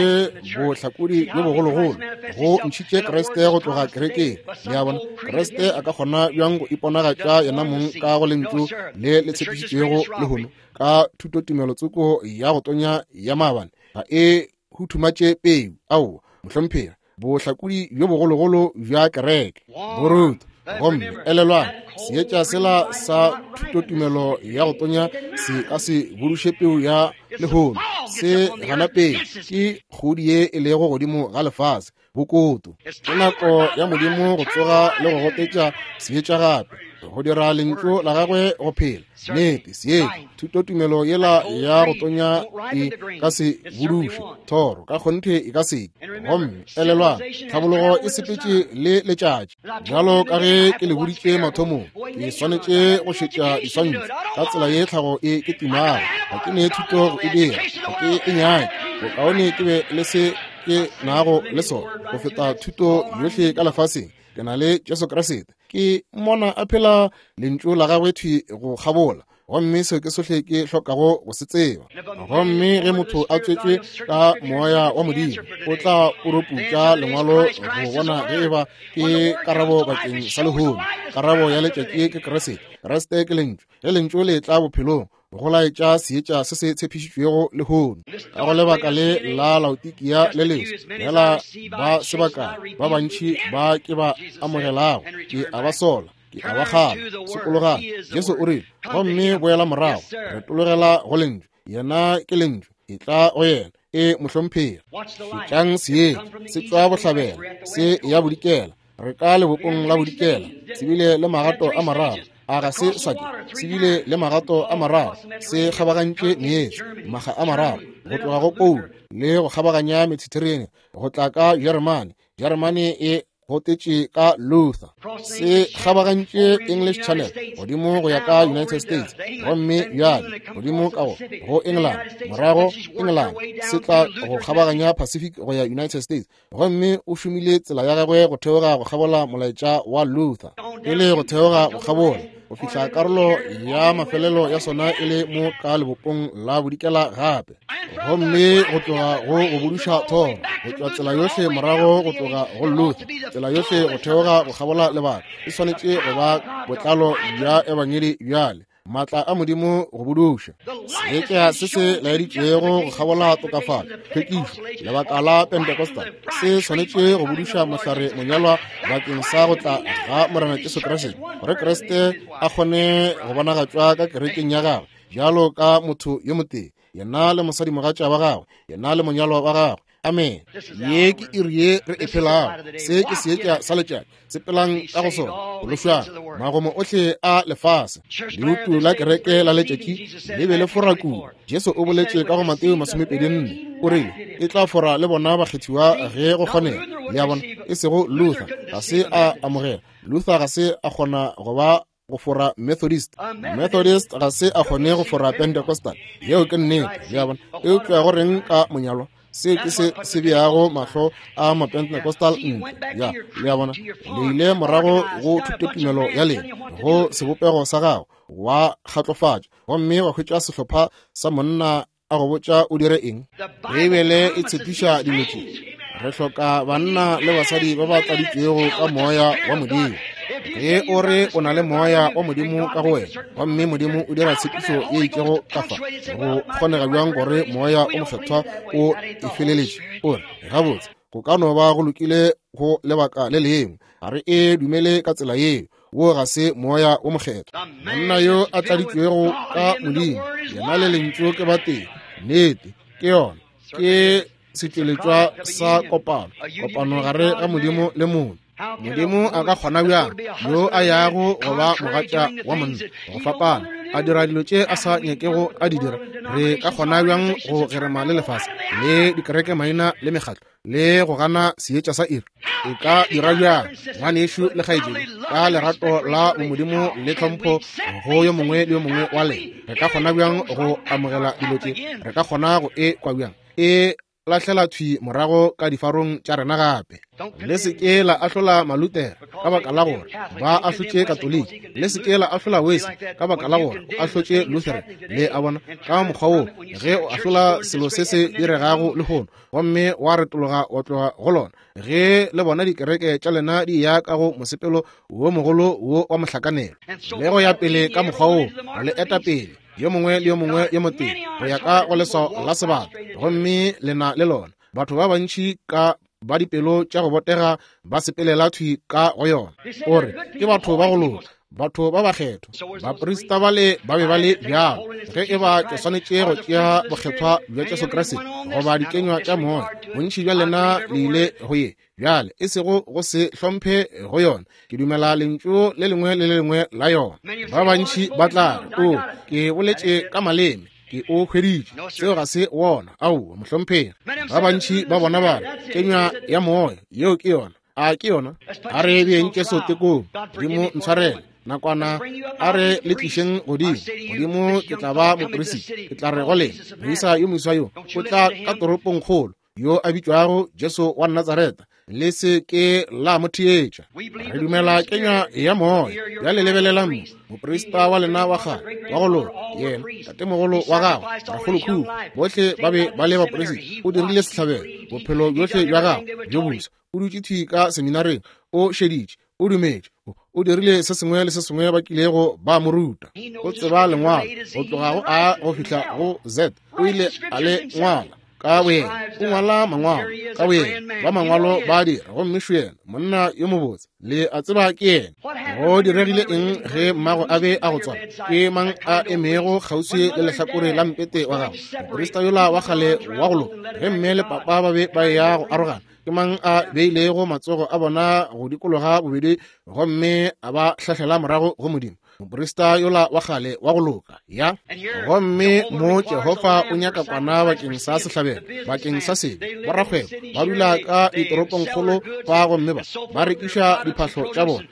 bohlakodi bjo bogologolo, go ntšhitše Kriste go tloga kerekeng. Le a bona, Kriste a ka kgona bjang go iponagatša yena mong ka go lentšu le le tshepišitšwego lehono ka thutotumelo tsoko ya go tonya ya maabane? Ga e huthumatše peu. Aowa, mohlomphegi. Bohlakodi bjo bogologolo bja kereke boruta. Gomme elelwang, seetša sela sa thutotumelo ya go tonya se ka se buduše peu ya lehono. Se gana peu ke kgodi ye e lego godimo ga lefase, bokoto. Ke nako ya Modimo go tsoga le go gotetša seetša gape, go dira lentšu la gagwe go phela. Nnete, seetša thutotumelo yela ya go tonya e ka se buduše thoro, ka kgonthe e ka se. Gomme elelwang, tlhabologo e sepetše le letšatši. Bjalo ka ge ke le boditše mathomong, ke swanetše go šetša diswantšho ka tsela ye tlhago e ke timago. Ga ke ne thuto go e dira, ga ke e nyake. Bokaone ke be le se ke nago le sona go feta thuto yohle ka lefaseng. Ke na le Jesu Kriste, ke mmona a phela lentšu la gagwe thwi go kgabola, gomme seo ke sohle ke hlokago go se tseba. Gomme ge motho a tswetšwe ka moya wa Modimo, o tla poroputša lengwalo go bona ge eba ke karabo bakeng sa lehono. Karabo ya letšatši ke Kriste. Kriste ke lentšu. Ge lentšu le tla bophelong, go laetša seetša se se tshepišitšwego lehono. Ka go lebaka le la Laodikia le leswa, fela ba sebaka ba bantši ba ke ba amogelago, ke a ba sola, ke a ba kgala. Sokologang. Jesu o rile, gomme boela morago, retologela go lentšu. Yena ke lentšu, e tla go yena. E mohlomphegi. Šetšang seetša se tšwa bohlabela, se ya bodikela. Re ka lebopong la bodikela, se bile le magato a mararo. A ga se sa ke, se bile le magato a mararo, se kgabagantše meetse maga a mararo, go tloga go Paulo le go kgabaganya Mediterranean go tla ka Jeremane. Jeremane e gotetše ka Luther. Se kgabagantše English Channel godimo go ya ka United States, gomme bjale godimo ka go go England, morago England se tla go kgabaganya Pacific go ya United States. Gomme o šomile tsela ya gagwe go theoga go kgabola molaetša wa Luther, e le go theoga go kgabola go fihla karolo ya mafelelo ya sona e le mo ka lebopong la bodikela gape. Gomme go tloga go go buduša thoro, go tšwa tsela yohle morago go tloga go Luther, tsela yohle go theoga go kgabola lebaka, e swanetše go ba botlalo bja ebangedi bjale. Maatla a Modimo go buduša seetša se se laeditšwego go kgabola tokafalo, tlhwekišo, lebaka la Pentecostal, se swanetše go buduša mohlare monyalwa bakeng sa go tla ga Morena Jesu Kriste, gore Kriste a kgone go bonagatšwa ka kerekeng ya gagwe bjalo ka motho yo motee, yena le mosadimogatša wa gagwe, yena le monyalwa wa gagwe. Amen. Ye ke iri ye re e phelago. Se ke seetša sa letšatši. Sepelang ka go sona, phološwang magomo ohle a lefase. Leutu la kereke la letšatši le be le fora kudu. Jesu o boletše ka go Mateo masomepedi nne, o rile e tla fora le bona bakgethiwa ge go kgonega. Le a bona, e sego Luther ga se a amogela. Luther ga se a kgona go ba go fora Methodist. Methodist ga se a kgone go fora Pentecostal. Yeo ke nnete. Le a bona, eupša go reng ka monyalwa? Se ke se se beago mahlo a Mapentecostal ntle. Ya, le a bona, le ile morago go thutotumelo ya lena, go sebopego sa gago, wa kgatlofatša, gomme wa hwetša sehlopha sa monna a go botša o dire eng. Beibele e tshepiša dilo tše. Re hloka banna le basadi ba ba tladitšwego ka moya wa Modimo. Ge o re o na le moya wa Modimo ka go wena, gomme Modimo o dira tshepišo ye itšego ka fa, go kgonega bjang gore moya o mokgethwa o e feleletše? O re, gabotse, go ka no ba go lokile go lebaka le lengwe. Ga re e dumele ka tsela yeo. Wo ga se moya o mokgethwa. Monna yo a tladitšwego ka Modimo, yena le lentšu ke batee. Nnete, ke yona. Ke setšweletšwa sa kopano, kopano gare ga Modimo le motho. Modimo a ka kgona bjang yo a yago go ba mogatša wa monna go fapana a dira dilo tše a sa nyakego a di dira, re ka kgona bjang go gerema le lefase le dikereke maina le mekgatlo le go gana seetša sa iri? E ka dira bjang, ngwanešu le kgaetšedi, ka lerato la bomodimo le tlhompho go yo mongwe le yo mongwe wa lena, re ka kgona bjang go amogela dilo tše? Re ka kgona go e kwa bjang? E lahlela thwi morago ka difarong tša rena gape. Le se ke la ahlola Malutere ka baka la gore ba ahlotše Katoliki. Le se ke la ahlola Wesley ka baka la gore o ahlotše Lutheran. Le a bona, ka mokgwa wo ge o ahlola selo se se diregago lehono gomme wa retologa wa tloga go lona, ge le bona dikereke tša lena di ya ka go mosepelo wo mogolo wo wa mohlakanelo le go ya pele ka mokgwa wo, le eta pele yo mongwe le yo mongwe yo motee go ya ka go leswao la sebata, gomme lena le lona. Batho ba bantši ka ba dipelo tša go botega ba sepelela thwi ka go yona. O re ke batho ba go loka, batho ba bakgethwa. Baprista bale ba be ba le bjalo. Ge e ba ke swanetše go tšea bokgethwa bja Jesu Kriste goba dikenywa tša moya, bontši bja lena le ile go ye bjale, e sego go se hlomphe go yona. Ke dumela lentšu le lengwe le le lengwe la yona. Ba bantši ba tla re, o ke boletše ka maleme, ke o hweditše. Seo ga se wona. Aowa, mohlomphegi. Ba bantši ba bona ba re kenywa ya moya, yeo ke yona. A ke yona? A re beeng Jesu tekong. Modimo ntshwarele nakwana, a re le tlišeng godimo. Godimo ke tla ba moperisita. Ke tla re go lena, moisa yo moswa yo o tla ka toropongkgolo, yo a bitšwago Jesu wa Natsaretha. Le se ke la mo theetša. Re dumela kenywa ya moya. Bjale lebelelang mo, moprista wa lena wa kgale wa go loka, yena tatemogolo wa gagwe, rakgolokhukhu, bohle ba be ba le baperisita. O dirile sehlabelo bophelo bjohle bja gagwe bjo boswa. O dutše thwi ka seminareng, o šeditše, o dumetše, o dirile se sengwe le se sengwe ba kilego ba mo ruta. O tseba lengwalo go tloga go A go fihla go Z. O ile a le ngwala ka boyena. O ngwala mangwalo ka boyena. Ba mangwalo ba dira, gomme šo yena, monna yo mobotse, le a tseba ke yena. Go diregile eng ge mmago a be a go tswala? Ke mang a emego kgauswi le lehlakore la mpete wa gagwe? Moprista yola wa kgale wa go loka. Ge mme le papa ba be ba ya go arogana, ke mang a beilego matsogo a bona go dikologa bobedi gomme a ba hlahlela morago go Modimo? Moprista yola wa kgale wa go loka. Ya, gomme mo Jehofa o nyaka kwana bakeng sa sehlabelo, bakeng sa sebe. Borakgwebo ba dula ka ditoropongkgolo fa gomme ba ba rekiša diphahlo tša bona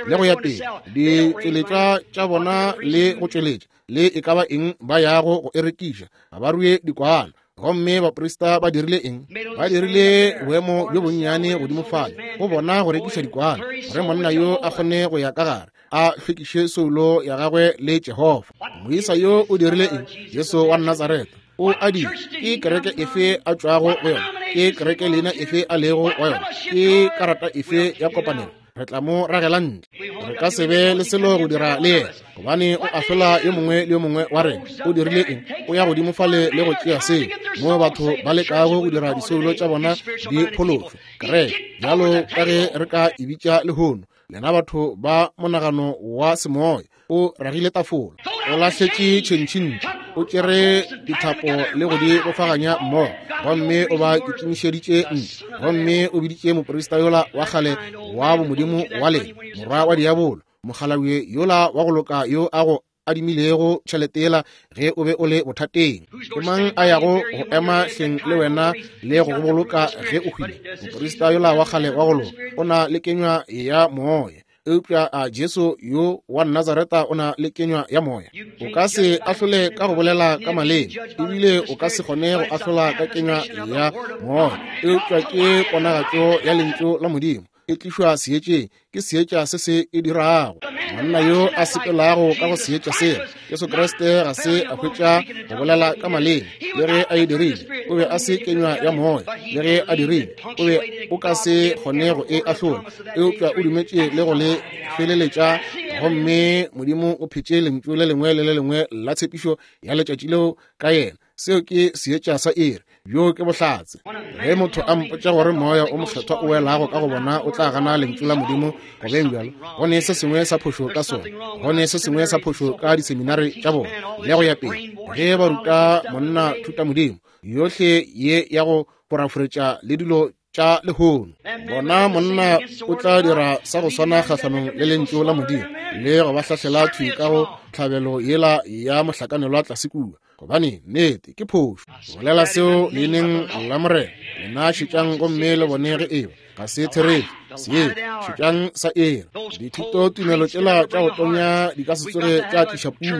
le go ya pele, ditšweletšwa tša bona le go tšweletša le e ka ba eng ba yago go e rekiša. Ga ba rue dikwana. Gomme baprista ba dirile eng? Ba dirile boemo bjo bonnyane godimo fale go bona go rekiša dikwana, gore monna yo a kgone go ya ka gare a hlwekiše soulo ya gagwe le Jehofa. Moisa yo o dirile eng? Jesu wa Natsaretha o a dira. Ke kereke efe a tšwago go yona? Ke kereke leina efe a lego wa yona? Ke karata efe ya kopanelo? Re tla mo ragela ntle. Re ka se be le selo go dira le yena, gobane o ahlola yo mongwe le yo mongwe wa rena. O dirile eng? O ya godimo fale le go tšea seo mo batho ba lekago go dira disoulo tša bona di phološwe. Kereke, bjalo ka ge re ka e bitša lehono, lena batho ba monagano wa semoya, o ragile tafola, o lahletše tšhentšhintši, o tšere dithapo le go di bofaganya mmogo, gomme o ba kitimišeditše ntle, gomme o biditše moprista yola wa kgale wa bomodimo wa lena, morwa wa diabolo, mokgalabje yola wa go loka yo a go adimilego tšhelete yela ge o be o le bothateng. Ke mang a yago go ema hleng le wena le go go boloka ge o hwile? Moprista yola wa kgale wa go loka o na le kenywa ya moya. Eupša a Jesu yo wa Nazareta o na le kenywa ya moya. O ka se ahlole ka go bolela ka maleme, ebile o ka se kgone go ahlola ka kenywa ya moya. Eupša ke ponagatšo ya lentšu la Modimo e tlišwa seetšeng, ke seetša se se e dirago. Monna yo a sepelago ka go seetša sela, Jesu Kriste, ga se a hwetša go bolela ka maleme. Le ge a e dirile, o be a se kenywa ya moya. Le ge a dirile, o be o ka se kgone go e ahlola. Eupša o dumetše le go le feleletša, gomme Modimo o phetše lentšu le lengwe le le lengwe la tshepišo ya letšatši leo ka yena. Seo ke seetša sa iri. Bjo ke bohlatse. Ge motho a mpotša gore moya o mokgethwa o welago ka go bona o tla gana lentšu la Modimo go beng bjalo, go ne se sengwe sa phošo ka sona. Go ne se sengwe sa phošo ka diseminari tša bona le go ya pele. Ge ba ruta monna thuta Modimo yohle ye ya go foraforetša le dilo tša lehono. Bona monna o tla dira sa go swana kgahlanong le lentšu la Modimo le go ba hlahlela thwi ka go tlhabelo yela ya mohlakanelwa tlase kua, gobane nnete ke phošo. Bolela seo leineng la Morena. Lena šetšang gomme le bone ge eba ga se therešo. Se šetšang sa ere. Dithuto tumelo tšela tša go tonya di ka se tsoge tša tliša puno.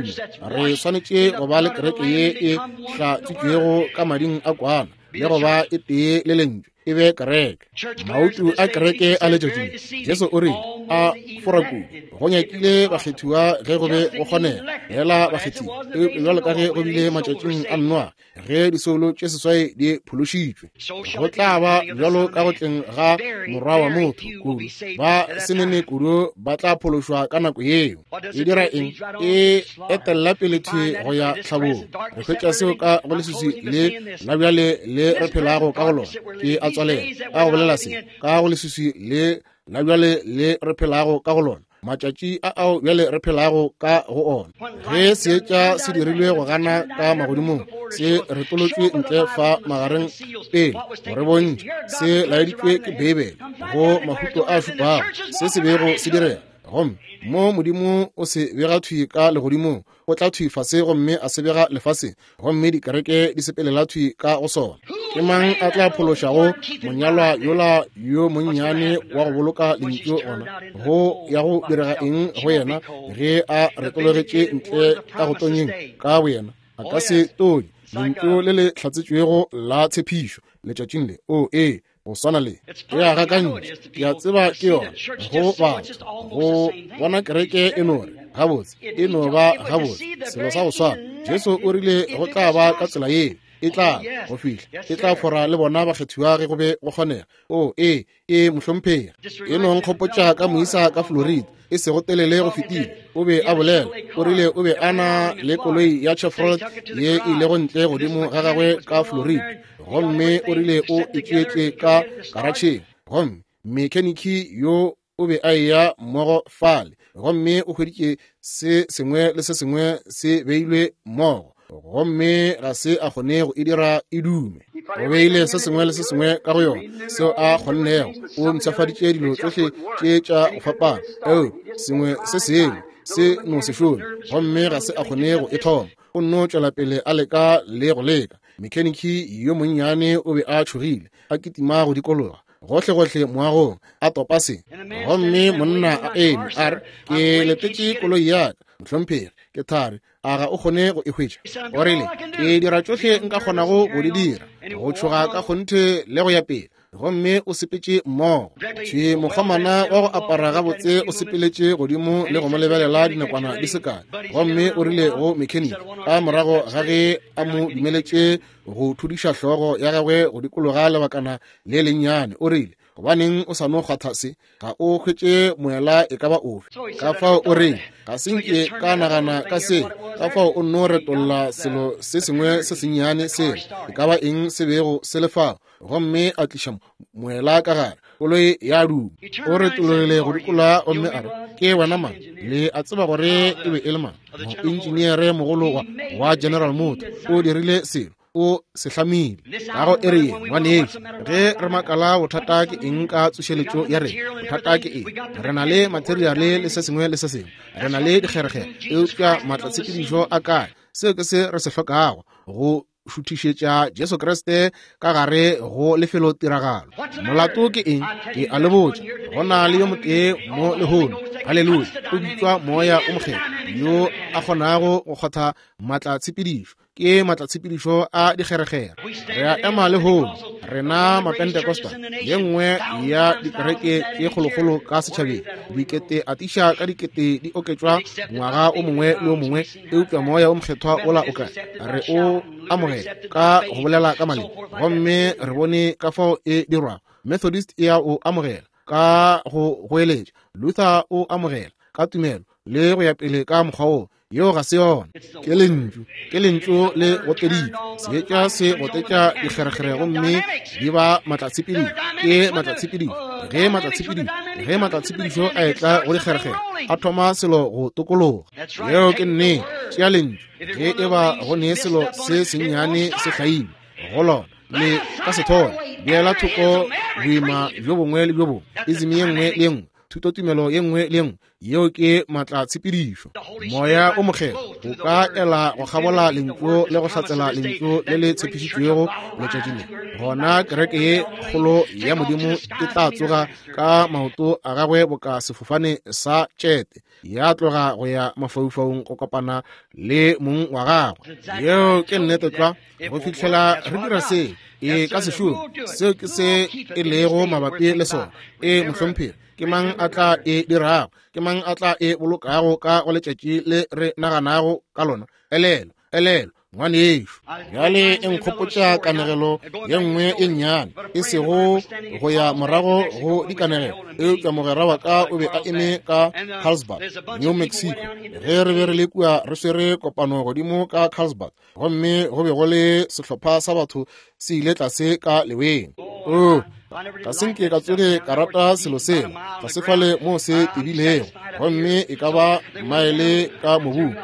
Re swanetše go ba le kereke ye e hlatswitšwego ka mading a kwana le go ba e tee le lentšu e be kereke. Mautu a kereke a letšatši le, Jesu o rile a fora kudu go nyakile bakgethiwa ge go be go kgonega fela bakgethiwa, eupša bjalo ka ge go bile matšatšing a Noa ge disoulo tše seswai di phološitšwe, go tla ba bjalo ka go tleng ga Morwa wa motho kudu. Ba senene kudu ba tla phološwa ka nako yeo. E dira eng? E etella pele thwi go ya tlhabong. Re hwetša seo ka go leswiswi le la bjale le re phelago ka go lona. Ke a tswalela ka go bolela se ka go leswiswi le la bjale le re phelago ka go lona, matšatši a ao bjale re phelago ka go ona. Ge seetša se dirilwe go gana ka magodimong, se retolotšwe ntle fa magareng pele go re bontšha, se laeditšwe ke Beibele go mahuto a šupago se se bego se direga. Gomme mo Modimo o se bega thwi ka legodimong, o tla thwi fase gomme a se bega lefaseng, gomme dikereke di sepelela thwi ka go sona. Ke mang a tla phološago monyalwa yola yo monnyane wa go boloka lentšu gona? Go ya go direga eng go yena ge a retologetše ntle ka go tonyeng ka boyena? A ka se tonye lentšu le le hlatsetšwego la tshepišo letšatšing le. O ee, go swana le e a gakantšha. Ke a tseba ke yona go batho go bona kereke e no re gabotse, e no ba gabotse, selo sa go swana. Jesu o rile go tla ba ka tsela yeo, e tla go fihla, e tla fora le bona bakgethiwa ge go be go kgonega. O ee, e mohlomphegi. E no nkgopotša ka moisa ka Florida e sego telele go fetile. O be a bolela, o rile o be a na le koloi ya Chevrolet ye e ilego ntle godimo ga gagwe ka Florida, gomme o rile o e tšeetše ka karatšheng, gomme mekheniki yo o be a eya mmogo fale, gomme o hweditše se sengwe le se sengwe se beilwe mmogo, gomme ga se a kgone go e dira e dume. O beile se sengwe le se sengwe ka go yona seo a kgonnego. O mpshafaditše dilo tšohle tše tša go fapana, eo sengwe se sengwe se no se šome, gomme ga se a kgone go e thoma. O nno tšwela pele a leka le go leka. Mekheniki yo monnyane o be a tšhogile, a kitima go dikologa gohlegohle moagong, a topa se. Gomme monna a eme a re, ke letetše koloi ya ka, mohlomphegi, ke thari, a ga o kgone go e hwetša? O rile, ke dira tšohle nka kgonago go di dira, go tšhoga ka kgonthe le go ya pele. Gomme o sepetše mmogo. Thwi mokgomana wa go apara gabotse o sepeletše godimo le go mo lebelela dinakwana di se kae, gomme o rile go mekheniki ka morago ga ge a mo dumeletše go thudiša hlogo ya gagwe go dikologa lebakana le lennyane, o rile, gobaneng o sa no kgwatha se? Ga o hwetše moela e ka ba ofe. Ka fao o reng, ga se nke ka nagana ka se. Ka fao o nno retolla selo se sengwe se sennyane sela, e ka ba eng se bego se le fao, gomme a tliša moela ka gare. Koloi ya duma. O retologile go dikologa gomme a re, ke wena mang? Le a tseba gore e be e le mang? Moentšeneere mogolo wa, wa General Motors o dirile selo, o se hlamile. Ka go ere ye, ngwanešu, ge re makala bothata ke eng ka tsošeletšo ya rena, bothata ke eng? Re na le materiale le se sengwe le se sengwe, re na le dikgerekgere, eupša maatlatshepedišo a kae? Seo ke se re se hlokago go šuthišetša Jesu Kriste ka gare go lefelo tiragalo. Molato ke eng? Ke a le botša, go na le yo motee mo lehono, haleluya, o bitšwa Moya o Mokgethwa, yo a kgonago go kgotha maatlatshepedišo. Ke maatlatshepedišo a dikgerekgere. Re a ema lehono, rena Mapentekosta, ye nngwe ya dikereke tše kgolokgolo ka setšhabeng, dikete atiša ka dikete di oketšwa ngwaga o mongwe le o mongwe, eupša Moya o Mokgethwa ola o kae? Re o amogela ka go bolela ka maleme, gomme re bone ka fao e dirwago. Methodist e a o amogela ka go goeletša, Luther o amogela ka tumelo le go ya pele ka mokgwa wo. Yeo ga se yona. Ke lentšu, ke lentšu le goteditšwe. Seetša se gotetša dikgerekgere gomme di ba maatlatshepedišo. Ke maatlatshepedišo. Ge maatlatshepedišo, ge maatlatshepedišo a etla go dikgerekgere, a thoma selo go tokologa. Yeo ke nnete. Tšea lentšu. Ge e ba go ne selo se sennyane se hlailwe go lona, Le ka se thole. Beela thoko boima bjo bongwe le bjo bongwe, ism ye nngwe le ye nngwe, thutotumelo ye nngwe le ye nngwe. Yeo ke maatlatshepedišo. Moya o Mokgethwa o ka ela go kgabola lentšu le go hlatsela lentšu le le tshepišitšwego letšatšing le. Gona kereke ye kgolo ya Modimo e tla tsoga ka maoto a gagwe boka sefofane sa tšete, ya tloga go ya mafaufaung go kopana le mong wa gagwe. Yeo ke nnete tlwa. Go fihlela re dira se, e ka se šome. Seo ke se e lego mabapi le sona. E mohlomphegi, ke mang a tla e dirago? Ke mang a tla e bolokago ka go letšatši le re naganago ka lona? Elelo, elelo, ngwanešo. Bjale e nkgopotša kanegelo ye nngwe e nnyane, e sego go ya morago go dikanegelo, eupša mogwera wa ka o be a eme ka Carlsbad, New Mexico, ge re be re le kua re swere kopano godimo ka Carlsbad, gomme go be go le sehlopha sa batho se ile tlase ka leweng. Oh, ga se nke ka tsoge ka rata selo sela, tlase fale moo se tebilego, gomme e ka ba maele ka mobung.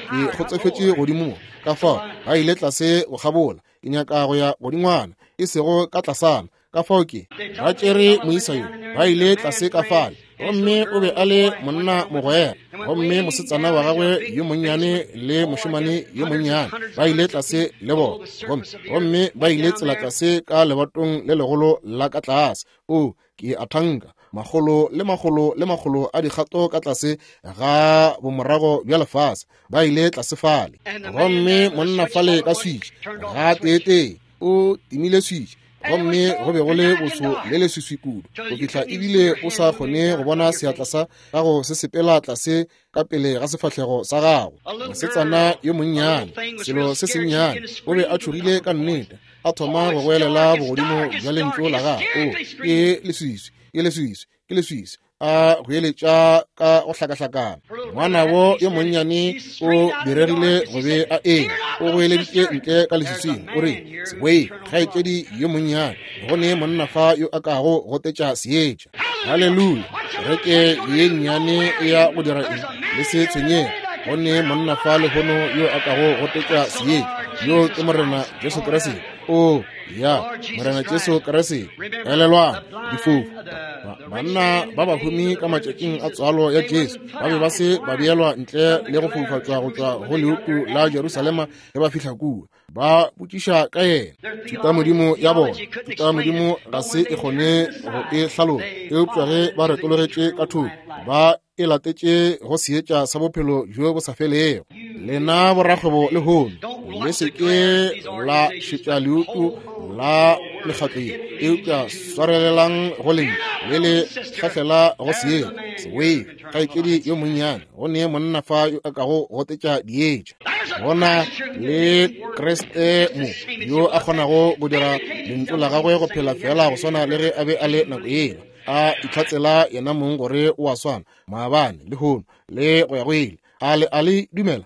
Ke kgotsofetše godimo mo, ka fao ba ile tlase go kgabola. Ke nyaka go ya godingwana, e sego ka tlasana. Ka fao ke ba tšere moisa yo, ba ile tlase ka fale, gomme o be a le monna mogwera, gomme mosetsana wa gagwe yo monnyane le mošemane yo monnyane ba ile tlase le bona, gomme gomme ba ile tsela tlase ka lebatong le legolo la ka tlase. O ke a thanka makgolo le makgolo le makgolo a dikgato ka tlase ga bomorago bja lefase, ba ile tlase fale. Gomme monna fale ka switch ga teetee o timile switch, gomme go be go le boso le leswiswi kudu go fihla ebile o sa kgone go bona seatla sa gago se sepela tlase ka pele ga sefahlego sa gago. Mosetsana yo monnyane, selo se sennyane, o be a tšhogile ka nnete, a thoma go goelela bogodimo bja lentšu la gagwe. O ke leswiswi, ke leswiswi, ke leswiswi, a goeletša ka go hlakahlakana. Ngwanabo yo monnyane o diregile go be a eme, o goeleditše ntle ka leswiswing, o re, "Seboei, kgaetšedi yo monnyane, go ne monna fa yo a kago gotetša seetša." Haleluya! Kereke ye nnyane e ya go dira eng? Le se tshwenyege, go ne monna fa lehono yo a kago gotetša seetša. Yo ke Morena Jesu Kriste. O ya, Morena Jesu Kriste. Elelwang, difofu, banna ba bahumi ka matšatšing a tswalo ya Jesu ba be ba se ba beelwa ntle le go foufatšwa go tšwa go leutu la Jerusalema ge ba fihla kua. Ba botšiša ka yena. Thutamodimo ya bona, thutamodimo ga se e kgone go e hlalola, eupša ge ba retologetše ka thoko, ba e latetše go seetša sa bophelo bjo bo sa felego. Lena borakgwebo lehono, le se ke la šetša leutu la mekgatlo ye, eupša swarelelang go lentšu le le hlahlela go seetša. Sewei, kgaetšedi yo monnyane, go ne monna fa yo a kago gotetša dietša. Gona le Kriste mo yo a kgonago go dira lentšu la gagwe go phela fela go swana le ge a be a le nako yela, a itlhatsela yena mong gore o a swana maabane, lehono le go ya go ile. A le a le dumela?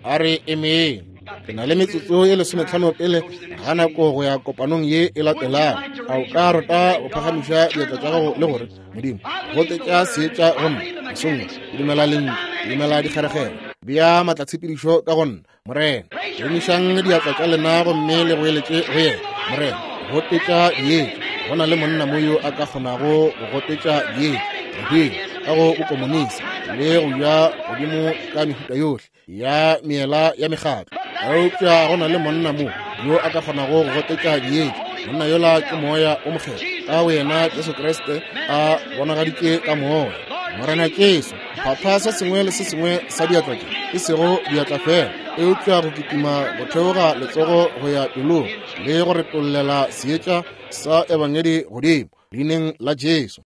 A re emeng. Ke na le metsotso ye lesometlhano pele ga nako go ya kopanong ye e latelago. A o ka rata go phagamiša diatla tša gago le gore, Modimo, gotetša seetša go nna mesong, ke dumela lentšu, ke dumela dikgeregelo, bea maatlatshepedišo ka go nna, Morena. Emišang diatla tša lena gomme le goeletše go yena, Morena, gotetša dietša. Go na le monna mo yo a ka kgonago go gotetša dietša re hwile ka go bokomonisi le go ja godimo ka mehuta yohle ya meela ya mekgatlo, eupša go na le monna mo yo a ka kgonago go gotetša dietša. Monna yola ke Moya o Mokgethwa, ka wena Jesu Kriste a bonagaditše ka Moya. Morena Jesu, phatha se sengwe le se sengwe sa diatla tše, e sego diatla fela, eupša go kitima go theoga letsogo go ya pelong le go retollela seetša sa ebangedi godimo, leineng la Jesu.